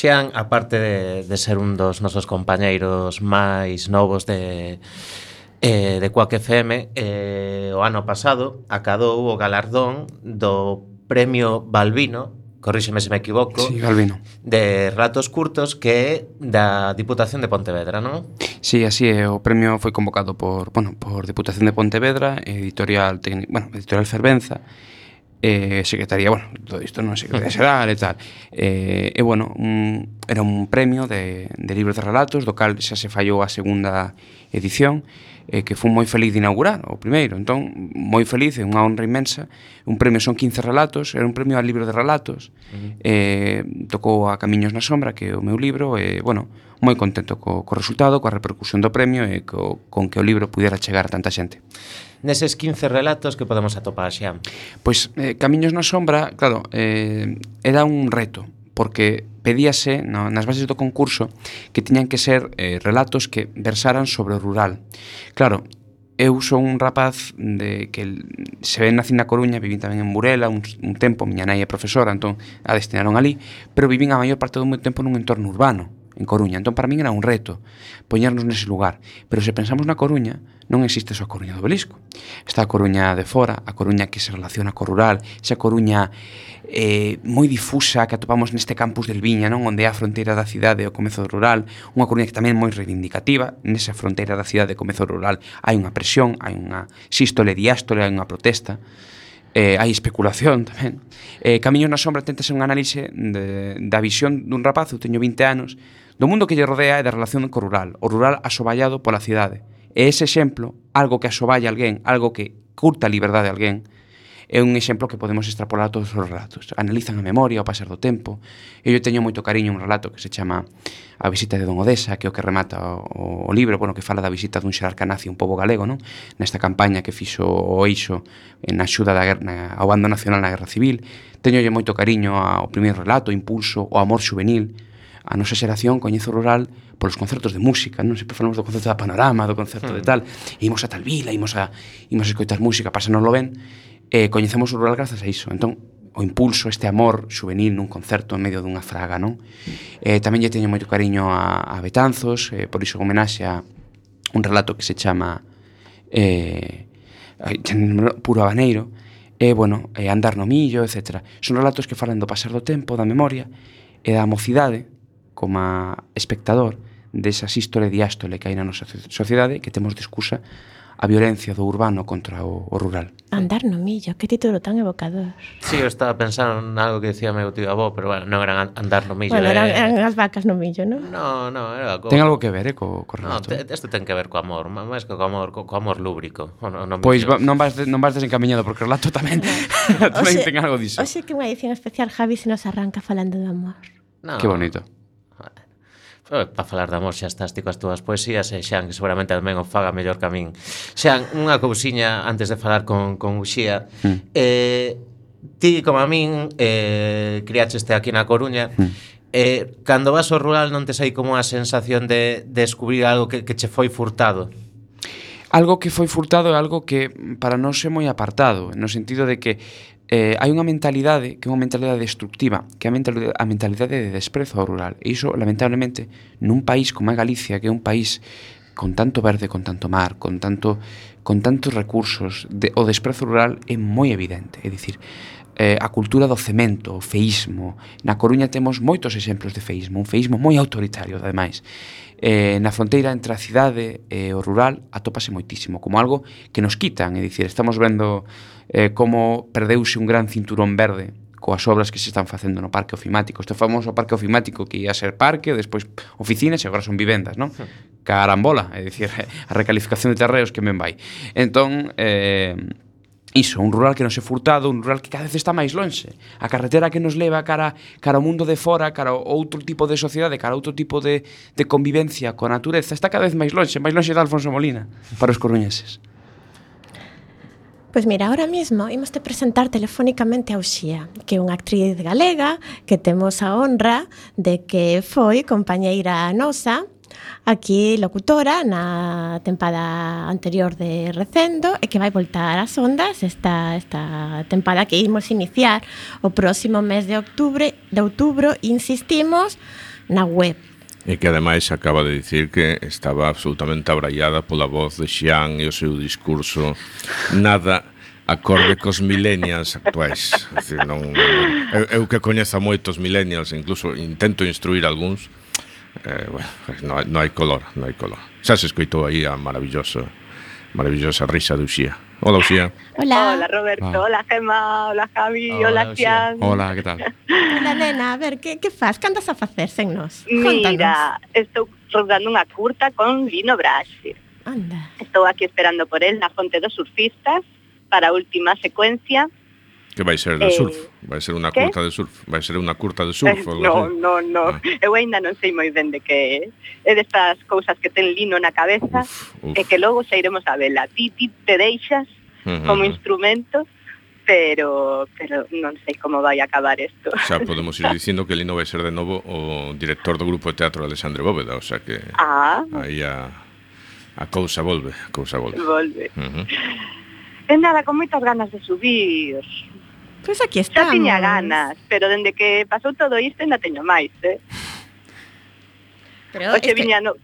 Xian, aparte de, de ser un dos nosos compañeiros máis novos de, eh, de Quack F M, eh, o ano pasado acadou o galardón do Premio Balbino, corríxeme se me equivoco, sí, Balbino, de relatos curtos, que é da Diputación de Pontevedra, non? Sí, así é, o premio foi convocado por, bueno, por Diputación de Pontevedra, editorial, bueno, editorial Fervenza, eh, secretaría, bueno, todo isto non secretaría xeral e tal. Eh, e, bueno, un, era un premio de, de libros de relatos, do cal xa se fallou a segunda edición, eh, que fui moi feliz de inaugurar o primeiro. Entón, moi feliz, é unha honra inmensa. Un premio son quince relatos, era un premio a libro de relatos. Uh-huh. eh, tocou a Camiños na sombra, que é o meu libro, e, bueno, moi contento co, co resultado, coa repercusión do premio e co, con que o libro pudera chegar a tanta xente. neses quince relatos que podemos atopar, Xian? Pois eh, Camiños na sombra, claro, eh, era un reto, porque pedíase no, nas bases do concurso que tiñan que ser eh, relatos que versaran sobre o rural. Claro, eu son un rapaz de que se ven nací na Coruña, vivín tamén en Burela un, un tempo, miña nai é profesora, entón a destinaron ali, pero vivín a maior parte do meu tempo nun entorno urbano, en Coruña. Entón para min era un reto poñernos nese lugar. Pero se pensamos na Coruña, non existe só a Coruña do Belisco. Está a Coruña de fora, a Coruña que se relaciona co rural, esa Coruña eh, moi difusa que atopamos neste campus del Viña, non, onde é a fronteira da cidade e o comezo do rural, unha Coruña que tamén é moi reivindicativa. Nesa fronteira da cidade e o comezo do rural hai unha presión, hai unha sístole, diástole, hai unha protesta. Eh, hai especulación tamén. Eh, Camiños na sombra tenta ser un análise de, da visión dun rapaz, eu teño vinte anos, do mundo que lle rodea e da relación co rural, o rural asoballado pola cidade. E ese exemplo, algo que asoballa alguén, algo que curta a liberdade a alguén, é un exemplo que podemos extrapolar a todos os relatos. Analizan a memoria ao pasar do tempo. Eu teño moito cariño un relato que se chama A visita de Don Odesa, que é o que remata o, o libro, bueno, que fala da visita dun xerarca nazi un pobo galego, non? Nesta campaña que fixo o Eixo en axuda da guerra, na, ao bando nacional na Guerra Civil. Teñolle moito cariño ao primeiro relato, Impulso, o Amor Xuvenil. A nosa xeración coñece o rural polos concertos de música, non? Sempre falamos do concerto da Panorama, do concerto de tal, e imos a tal vila, imos a, imos a escoitar música, pásanoslo ben, e coñecemos o rural grazas a iso. Entón, o impulso, este amor xuvenil nun concerto en medio dunha fraga, non? Eh, tamén lle teño moito cariño a, a Betanzos, eh, por iso homenaxe a un relato que se chama eh, Puro Habaneiro, e, eh, bueno, eh, Andar no millo, etcétera. Son relatos que falan do pasar do tempo, da memoria, e da mocidade, como espectador, desa sístole e diástole que hai na nosa sociedade, que temos de excusa a violencia do urbano contra o, o rural. Andar no millo, que título tan evocador. Sí, eu estaba pensando en algo que decía meu tío avó, pero bueno, non eran andar no millo. Bueno, eran, eh... eran as vacas no millo, non? No, no, era co... Ten algo que ver, eh, co, co relato. No, te, isto ten que ver co amor, máis que co amor, co, co amor lúbrico. No, no pois va, non vas de, non vas desencaminhado, porque o relato tamén, tamén Oxe, ten algo diso. Oxe que unha edición especial, Javi, se nos arranca falando do amor. No. Que bonito. Para falar de amor xa estás ti coas túas poesías e Xan, que seguramente tamén o faga mellor que a min. Xan, unha cousiña antes de falar con, con Uxía. Mm. eh, Ti, como a min, eh, criácheste aquí na Coruña. mm. eh, Cando vas ao rural non tes aí como a sensación de, de descubrir algo que, que che foi furtado? Algo que foi furtado é algo que para nós é moi apartado, no sentido de que eh, hai unha mentalidade que é unha mentalidade destructiva, que é a mentalidade, a mentalidade de desprezo ao rural. E iso, lamentablemente, nun país como é Galicia, que é un país con tanto verde, con tanto mar, con tanto con tantos recursos, de, o desprezo rural é moi evidente. É dicir, eh, a cultura do cemento, o feísmo. Na Coruña temos moitos exemplos de feísmo, un feísmo moi autoritario, ademais. Eh, na fronteira entre a cidade e o rural atópase moitísimo, como algo que nos quitan. É dicir, estamos vendo eh, como perdeuse un gran cinturón verde coas obras que se están facendo no parque ofimático. Este famoso parque ofimático que ia ser parque, despois oficinas e agora son vivendas, non? Carambola, é dicir, a recalificación de terreos que men vai. Entón, eh, iso, un rural que non se furtado, un rural que cada vez está máis lonxe. A carretera que nos leva cara, cara ao mundo de fora, cara a outro tipo de sociedade, cara a outro tipo de, de convivencia coa natureza, está cada vez máis lonxe, máis lonxe de Alfonso Molina, para os coruñeses. Pois mira, ahora mismo imos te presentar telefónicamente a Uxía, que é unha actriz galega que temos a honra de que foi compañeira nosa, aquí locutora na tempada anterior de Recendo e que vai voltar ás ondas esta, esta tempada que imos iniciar o próximo mes de outubro, de outubro, insistimos, na web. E que ademais acaba de dicir que estaba absolutamente abraiada pola voz de Xian e o seu discurso nada acorde cos millennials actuais. É dicir, non, eu, eu que coñezo moitos millennials, incluso intento instruir algúns, eh, bueno, non hai, non hai color, non hai color. Xa se escoitou aí a maravillosa, maravillosa risa de Uxía. Hola, Uxía. Hola. Hola, Roberto. Ah. Hola, Gemma. Hola, Javi. Hola, hola Xian. Hola, que tal? Hola, nena. A ver, que, que faz? Que andas a facer sen nos? Mira, estou rodando unha curta con Lino Brasi. Anda. Estou aquí esperando por él na Fonte dos Surfistas para a última secuencia. Que vai ser de Eh, surf? Vai ser unha que? curta de surf? Vai ser unha curta de surf? Eh, ou algo no, así? no, no. Ah. Eu aínda non sei moi ben de que é. É destas cousas que ten lino na cabeza Uf, uf. e que logo xa iremos a vela. Ti, ti te deixas Ujú. como instrumento, pero pero non sei como vai acabar isto. Xa podemos ir dicindo que Lino vai ser de novo o director do grupo de teatro Alexandre Bóveda, o sea que Ah, aí a, a cousa volve, a cousa volve. volve. Uh-huh. E nada, con moitas ganas de subir. Pois aquí Xa estamos. tiña ganas, pero dende que pasou todo isto ainda teño máis, eh? Pero Oxe, este- viña no...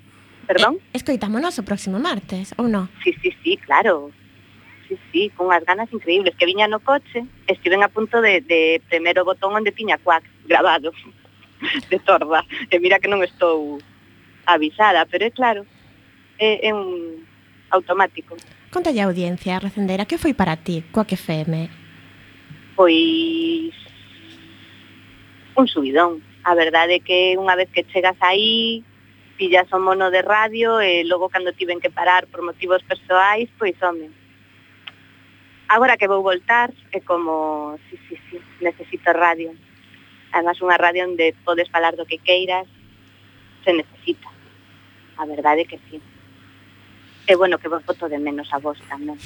Perdón? Eh, escoitámonos o próximo martes, ou non? Sí, sí, sí, claro. Sí, sí, con unhas ganas increíbles. Que viña no coche, estiven a punto de, de premer o botón onde tiña Quack grabado, de torda. E mira que non estou avisada, pero é claro, é, é un automático. Contalle a audiencia, Recendera, que foi para ti, Quack F M? Pois un subidón. A verdade é que unha vez que chegas aí, pillas o mono de radio e logo cando tiven que parar por motivos persoais, pois home. Agora que vou voltar é como, sí, sí, sí, necesito radio. Además unha radio onde podes falar do que queiras, se necesita. A verdade é que sí. E bueno, que vos boto de menos a vos tamén.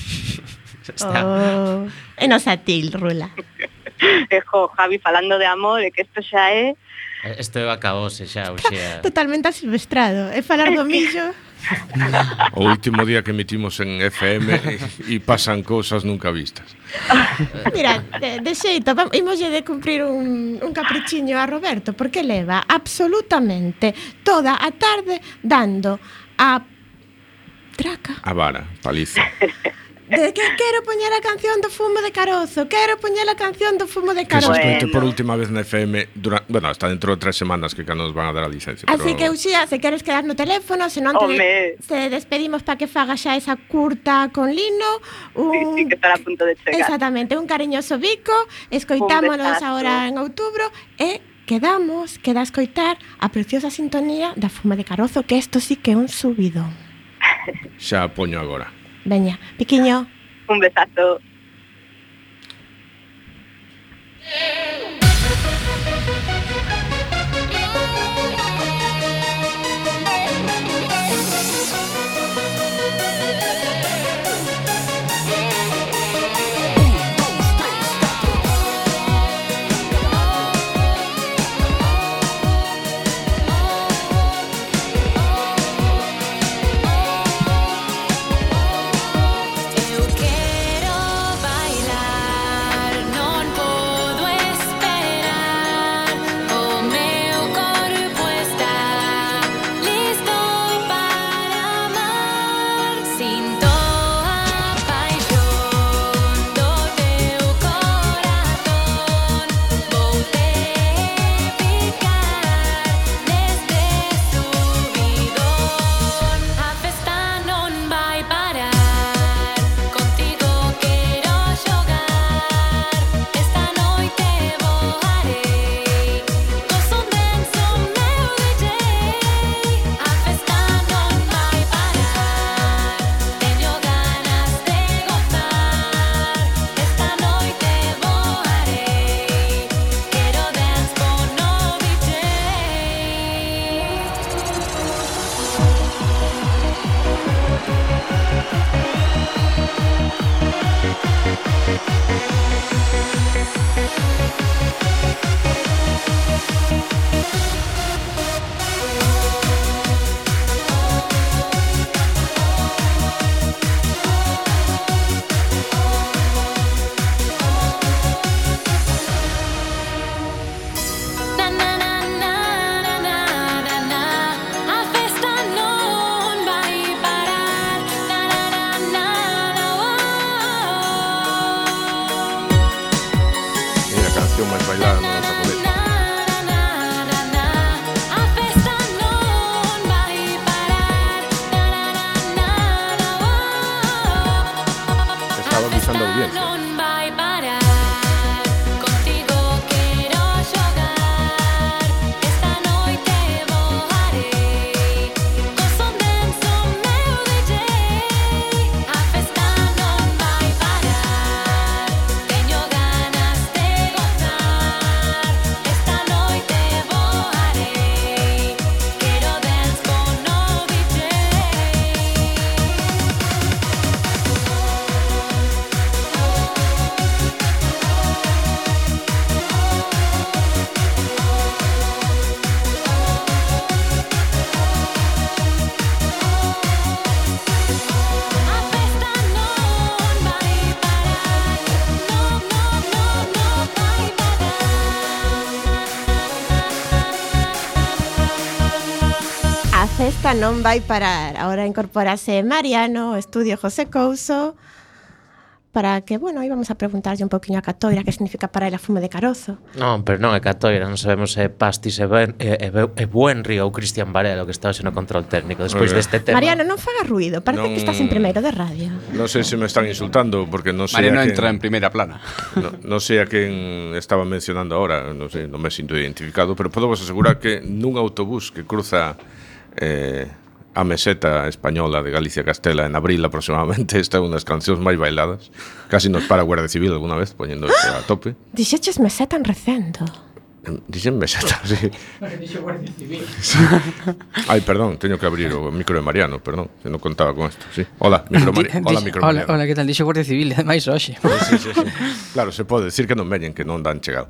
Está. Oh, e nos a til, Rula. E jo, Javi, falando de amor, e que isto xa é... Isto acabose xa, o xa. Totalmente asilvestrado. E falar do millo... O último día que emitimos en F M e pasan cousas nunca vistas. Mira, de, de xeito, vam- imoslle de cumprir un, un caprichiño a Roberto, porque leva absolutamente toda a tarde dando a traca A vara, paliza. de que quero poñer a canción do fumo de carozo, quero poñer a canción do fumo de Que se carozo. escoite Bueno. por última vez na F M dura, bueno, hasta dentro de tres semanas que cando nos van a dar a licencia. Así pero... que, Uxía, se queres quedar no teléfono, se non te Home. se despedimos para que faga xa esa curta con Lino, Sí, un, sí, que estará a punto de chegar. exactamente, un cariñoso bico, escoitámonos besazo. agora en outubro e quedamos, queda a escoitar a preciosa sintonía da Fuma de Carozo, que isto sí que é un subidón. Xa poño agora. Veña, piquiño. Un besazo. Eu quero bailar, non podo música non vai parar. Ahora incorporase Mariano, o estudio José Couso, para que, bueno, aí vamos a preguntarlle un poquinho a Catoira que significa para ela fume de carozo. Non, pero non é Catoira, non sabemos se é Pastis e, ben, e, e, e Buenri ou Cristian Varela que está hoxe no control técnico despois Okay. deste tema. Mariano, non faga ruido, parece Non- que estás en primeiro de radio. Non sei se me están insultando porque non sei Mariano a quen, entra en primeira plana. no, non sei a quen estaba mencionando ahora, non sei, non me sinto identificado, pero podo vos asegurar que nun autobús que cruza eh, a meseta española de Galicia e Castela en abril aproximadamente, esta é unha das cancións máis bailadas. Casi nos para a Guardia Civil alguna vez poñendo isto a tope. Dixeches meseta en recendo. Dixen meseta, sí. Ai, perdón, teño que abrir o micro de Mariano, perdón, que non contaba con isto, sí. Hola, micro Mariano. Hola, micro Hola, Mariano. hola, que tal? Dixo Guardia Civil, ademais hoxe. Sí, sí, sí. Claro, se pode decir que non veñen, que non dan chegado.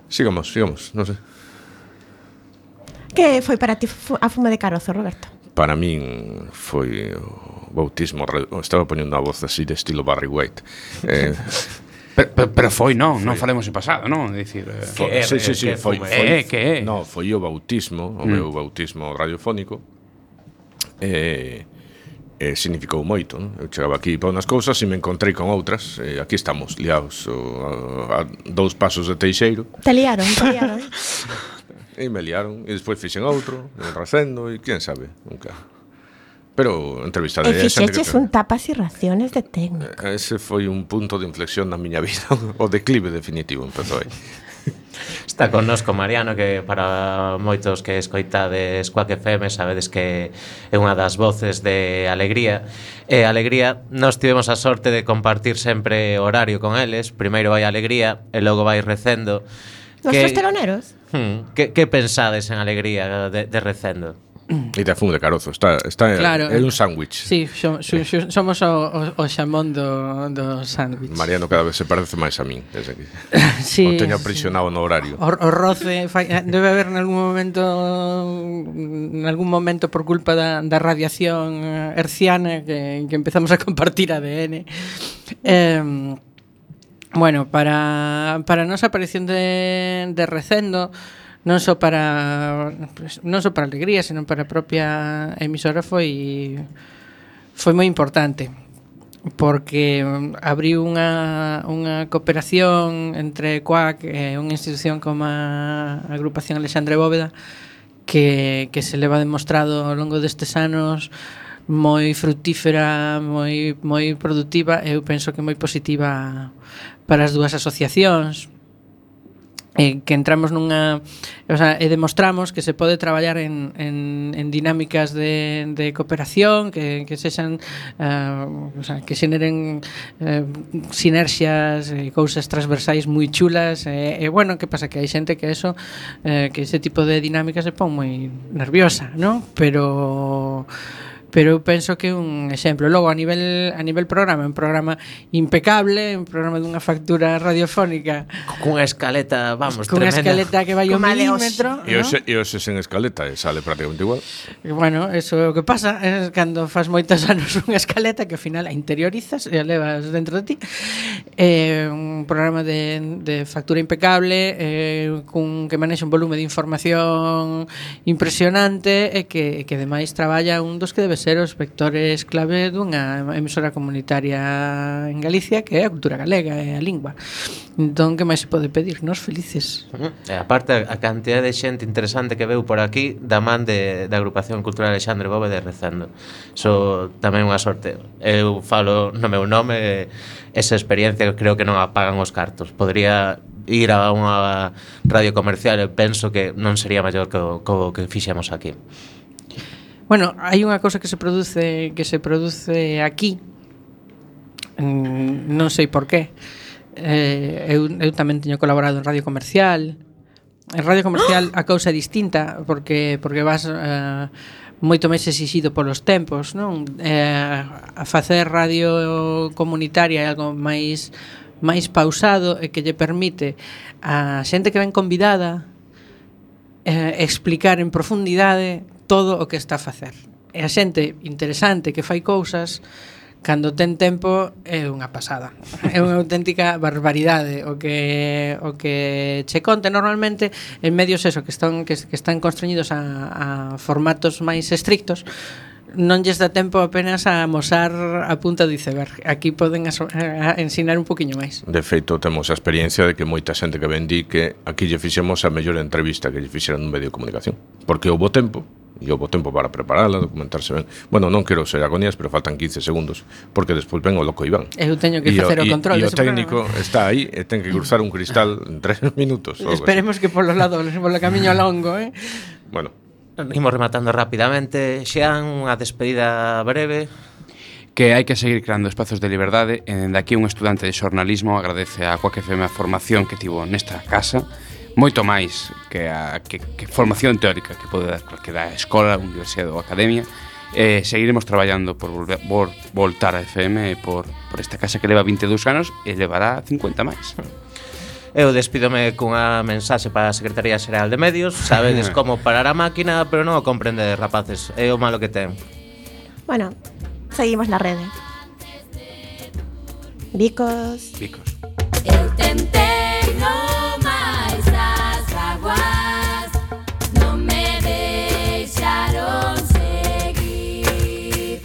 Sigamos, sigamos, non sei. Que foi para ti fu- a fume de carozo, Roberto? Para min foi o bautismo, ra- estaba poñendo a voz así de estilo Barry White. Eh, Pero, pero, pero foi, non, non falemos en pasado, non? É dicir, eh, foi, é, sí, sí, é, sí, que foi, fume. foi, É, que é? No, foi o bautismo, o Mm. meu bautismo radiofónico. Eh, eh, significou moito, non? Eu chegaba aquí para unhas cousas e me encontrei con outras. Eh, aquí estamos, liados o, a, a dous pasos de Teixeiro. Te liaron, te liaron. E me liaron, e despois fixen outro, un recendo, e quién sabe, nunca. Pero entrevistaré E a xente que fixeches ten- un tapas e raciones de técnico. Ese foi un punto de inflexión na miña vida. O declive definitivo empezou aí. Está connosco Mariano, que para moitos que escoitades Quack F M sabedes que é unha das voces de Alegría. E Alegría, nós tivemos a sorte de compartir sempre horario con eles. Primeiro vai Alegría e logo vai Recendo. Nuestros teloneros. Hmm, que, que pensades en Alegría de, de Recendo? E te fumo de carozo, está, está Claro. é un sándwich. Sí, xo- xo- xo- somos o, o, o xamón do, do sándwich. Mariano cada vez se parece máis a min, desde que Sí, o teño aprisionado no horario. O, o roce fai, debe haber en algún momento en algún momento por culpa da, da radiación eh, herciana que, que empezamos a compartir A D N. Eh, bueno, para para a nosa aparición de, de Recendo, non só para pues, non só para Alegría, senón para a propia emisora foi foi moi importante, porque mm, abriu unha, unha cooperación entre Quack e unha institución como a Agrupación Alexandre Bóveda que, que se leva demostrado ao longo destes anos moi fructífera, moi, moi productiva e eu penso que moi positiva para as dúas asociacións. Eh, que entramos nunha, o sea, e demostramos que se pode traballar en, en, en dinámicas de, de cooperación que, que sexan uh, o sea, que xeneren uh, sinerxias e cousas transversais moi chulas e, e bueno, que pasa que hai xente que eso eh, que ese tipo de dinámicas se pon moi nerviosa, ¿no? Pero pero eu penso que é un exemplo. Logo a nivel a nivel programa, un programa impecable, un programa dunha factura radiofónica Cunha escaleta, vamos, cunha tremenda. escaleta que vai ao Como a de milímetro, E ¿no? hoxe, e hoxe sen escaleta e sale prácticamente igual. E bueno, eso é o que pasa é cando faz moitos anos unha escaleta que ao final a interiorizas e a levas dentro de ti. É un programa de, de factura impecable, eh, cun que manexa un volume de información impresionante e que, e que ademais traballa un dos que debe ser os vectores clave dunha emisora comunitaria en Galicia, que é a cultura galega e a lingua. Entón, que máis se pode pedir? Nos felices. Uh-huh. E aparte a cantidad de xente interesante que veu por aquí da man de, da Agrupación Cultural Alexandre Bóveda de Recendo. So tamén unha sorte. Eu falo no meu nome, esa experiencia que creo que non apagan os cartos. Podría ir a unha radio comercial e penso que non sería maior que o, que, o que fixemos aquí. Bueno, hai unha cousa que se produce que se produce aquí. Mm, non sei por qué. Eh, eu, eu tamén teño colaborado en radio comercial. En radio comercial a cousa é distinta porque porque vas eh, moito máis exixido polos tempos, non? Eh, a facer radio comunitaria é algo máis máis pausado e que lle permite a xente que ven convidada eh, explicar en profundidade todo o que está a facer. E a xente interesante que fai cousas cando ten tempo é unha pasada. É unha auténtica barbaridade o que o que che conte normalmente en medios eso que están que, que están constreñidos a, a formatos máis estrictos. Non lles dá tempo apenas a amosar a punta do iceberg. Aquí poden aso, a ensinar un poquinho máis. De feito, temos a experiencia de que moita xente que ven di que aquí lle fixemos a mellor entrevista que lle fixeran nun medio de comunicación. Porque houbo tempo, e houbo tempo para preparala, documentarse ben. Bueno, non quero ser agonías, pero faltan quince segundos, porque despois ven o loco Iván. Eu teño que facer o, o control. E o técnico programa. Está aí e ten que cruzar un cristal en tres minutos. Esperemos que polo lado, polo camiño longo, eh? Bueno. Imos rematando rapidamente. Xean, unha despedida breve. Que hai que seguir creando espazos de liberdade. E dende aquí un estudante de xornalismo agradece a Quack F M a formación que tivo nesta casa, moito máis que a que, que formación teórica que pode dar calquera escola, universidade ou academia. Eh, seguiremos traballando por, volver, por voltar a F M e por, por esta casa que leva vinte e dous anos e levará cincuenta máis. Eu despídome cunha mensaxe para a Secretaría Xeral de Medios. Sabedes como parar a máquina, pero non o comprendedes, rapaces. É o malo que ten. Bueno, seguimos na rede. Bicos. Bicos. Eu tentei no máis as aguas, non me deixaron seguir.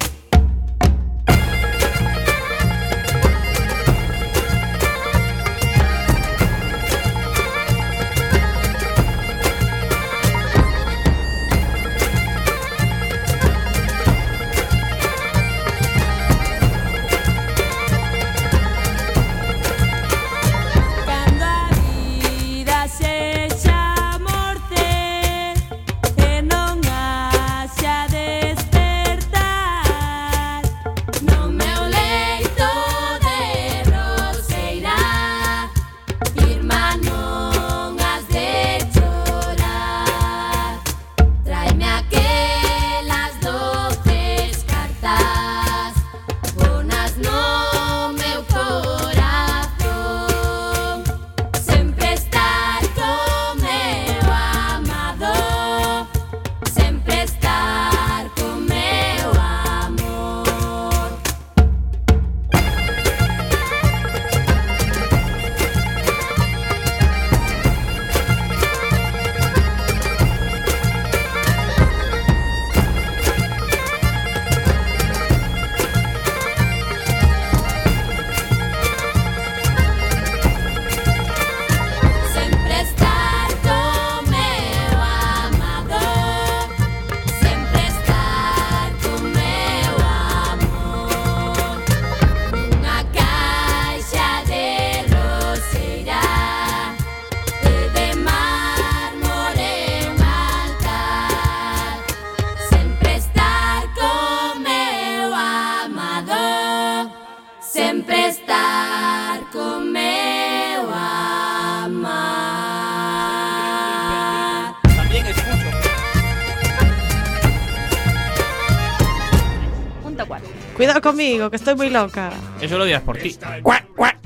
Cuidado conmigo, que estoy muy loca. Eso lo dirás por ti. Cuac, cuac.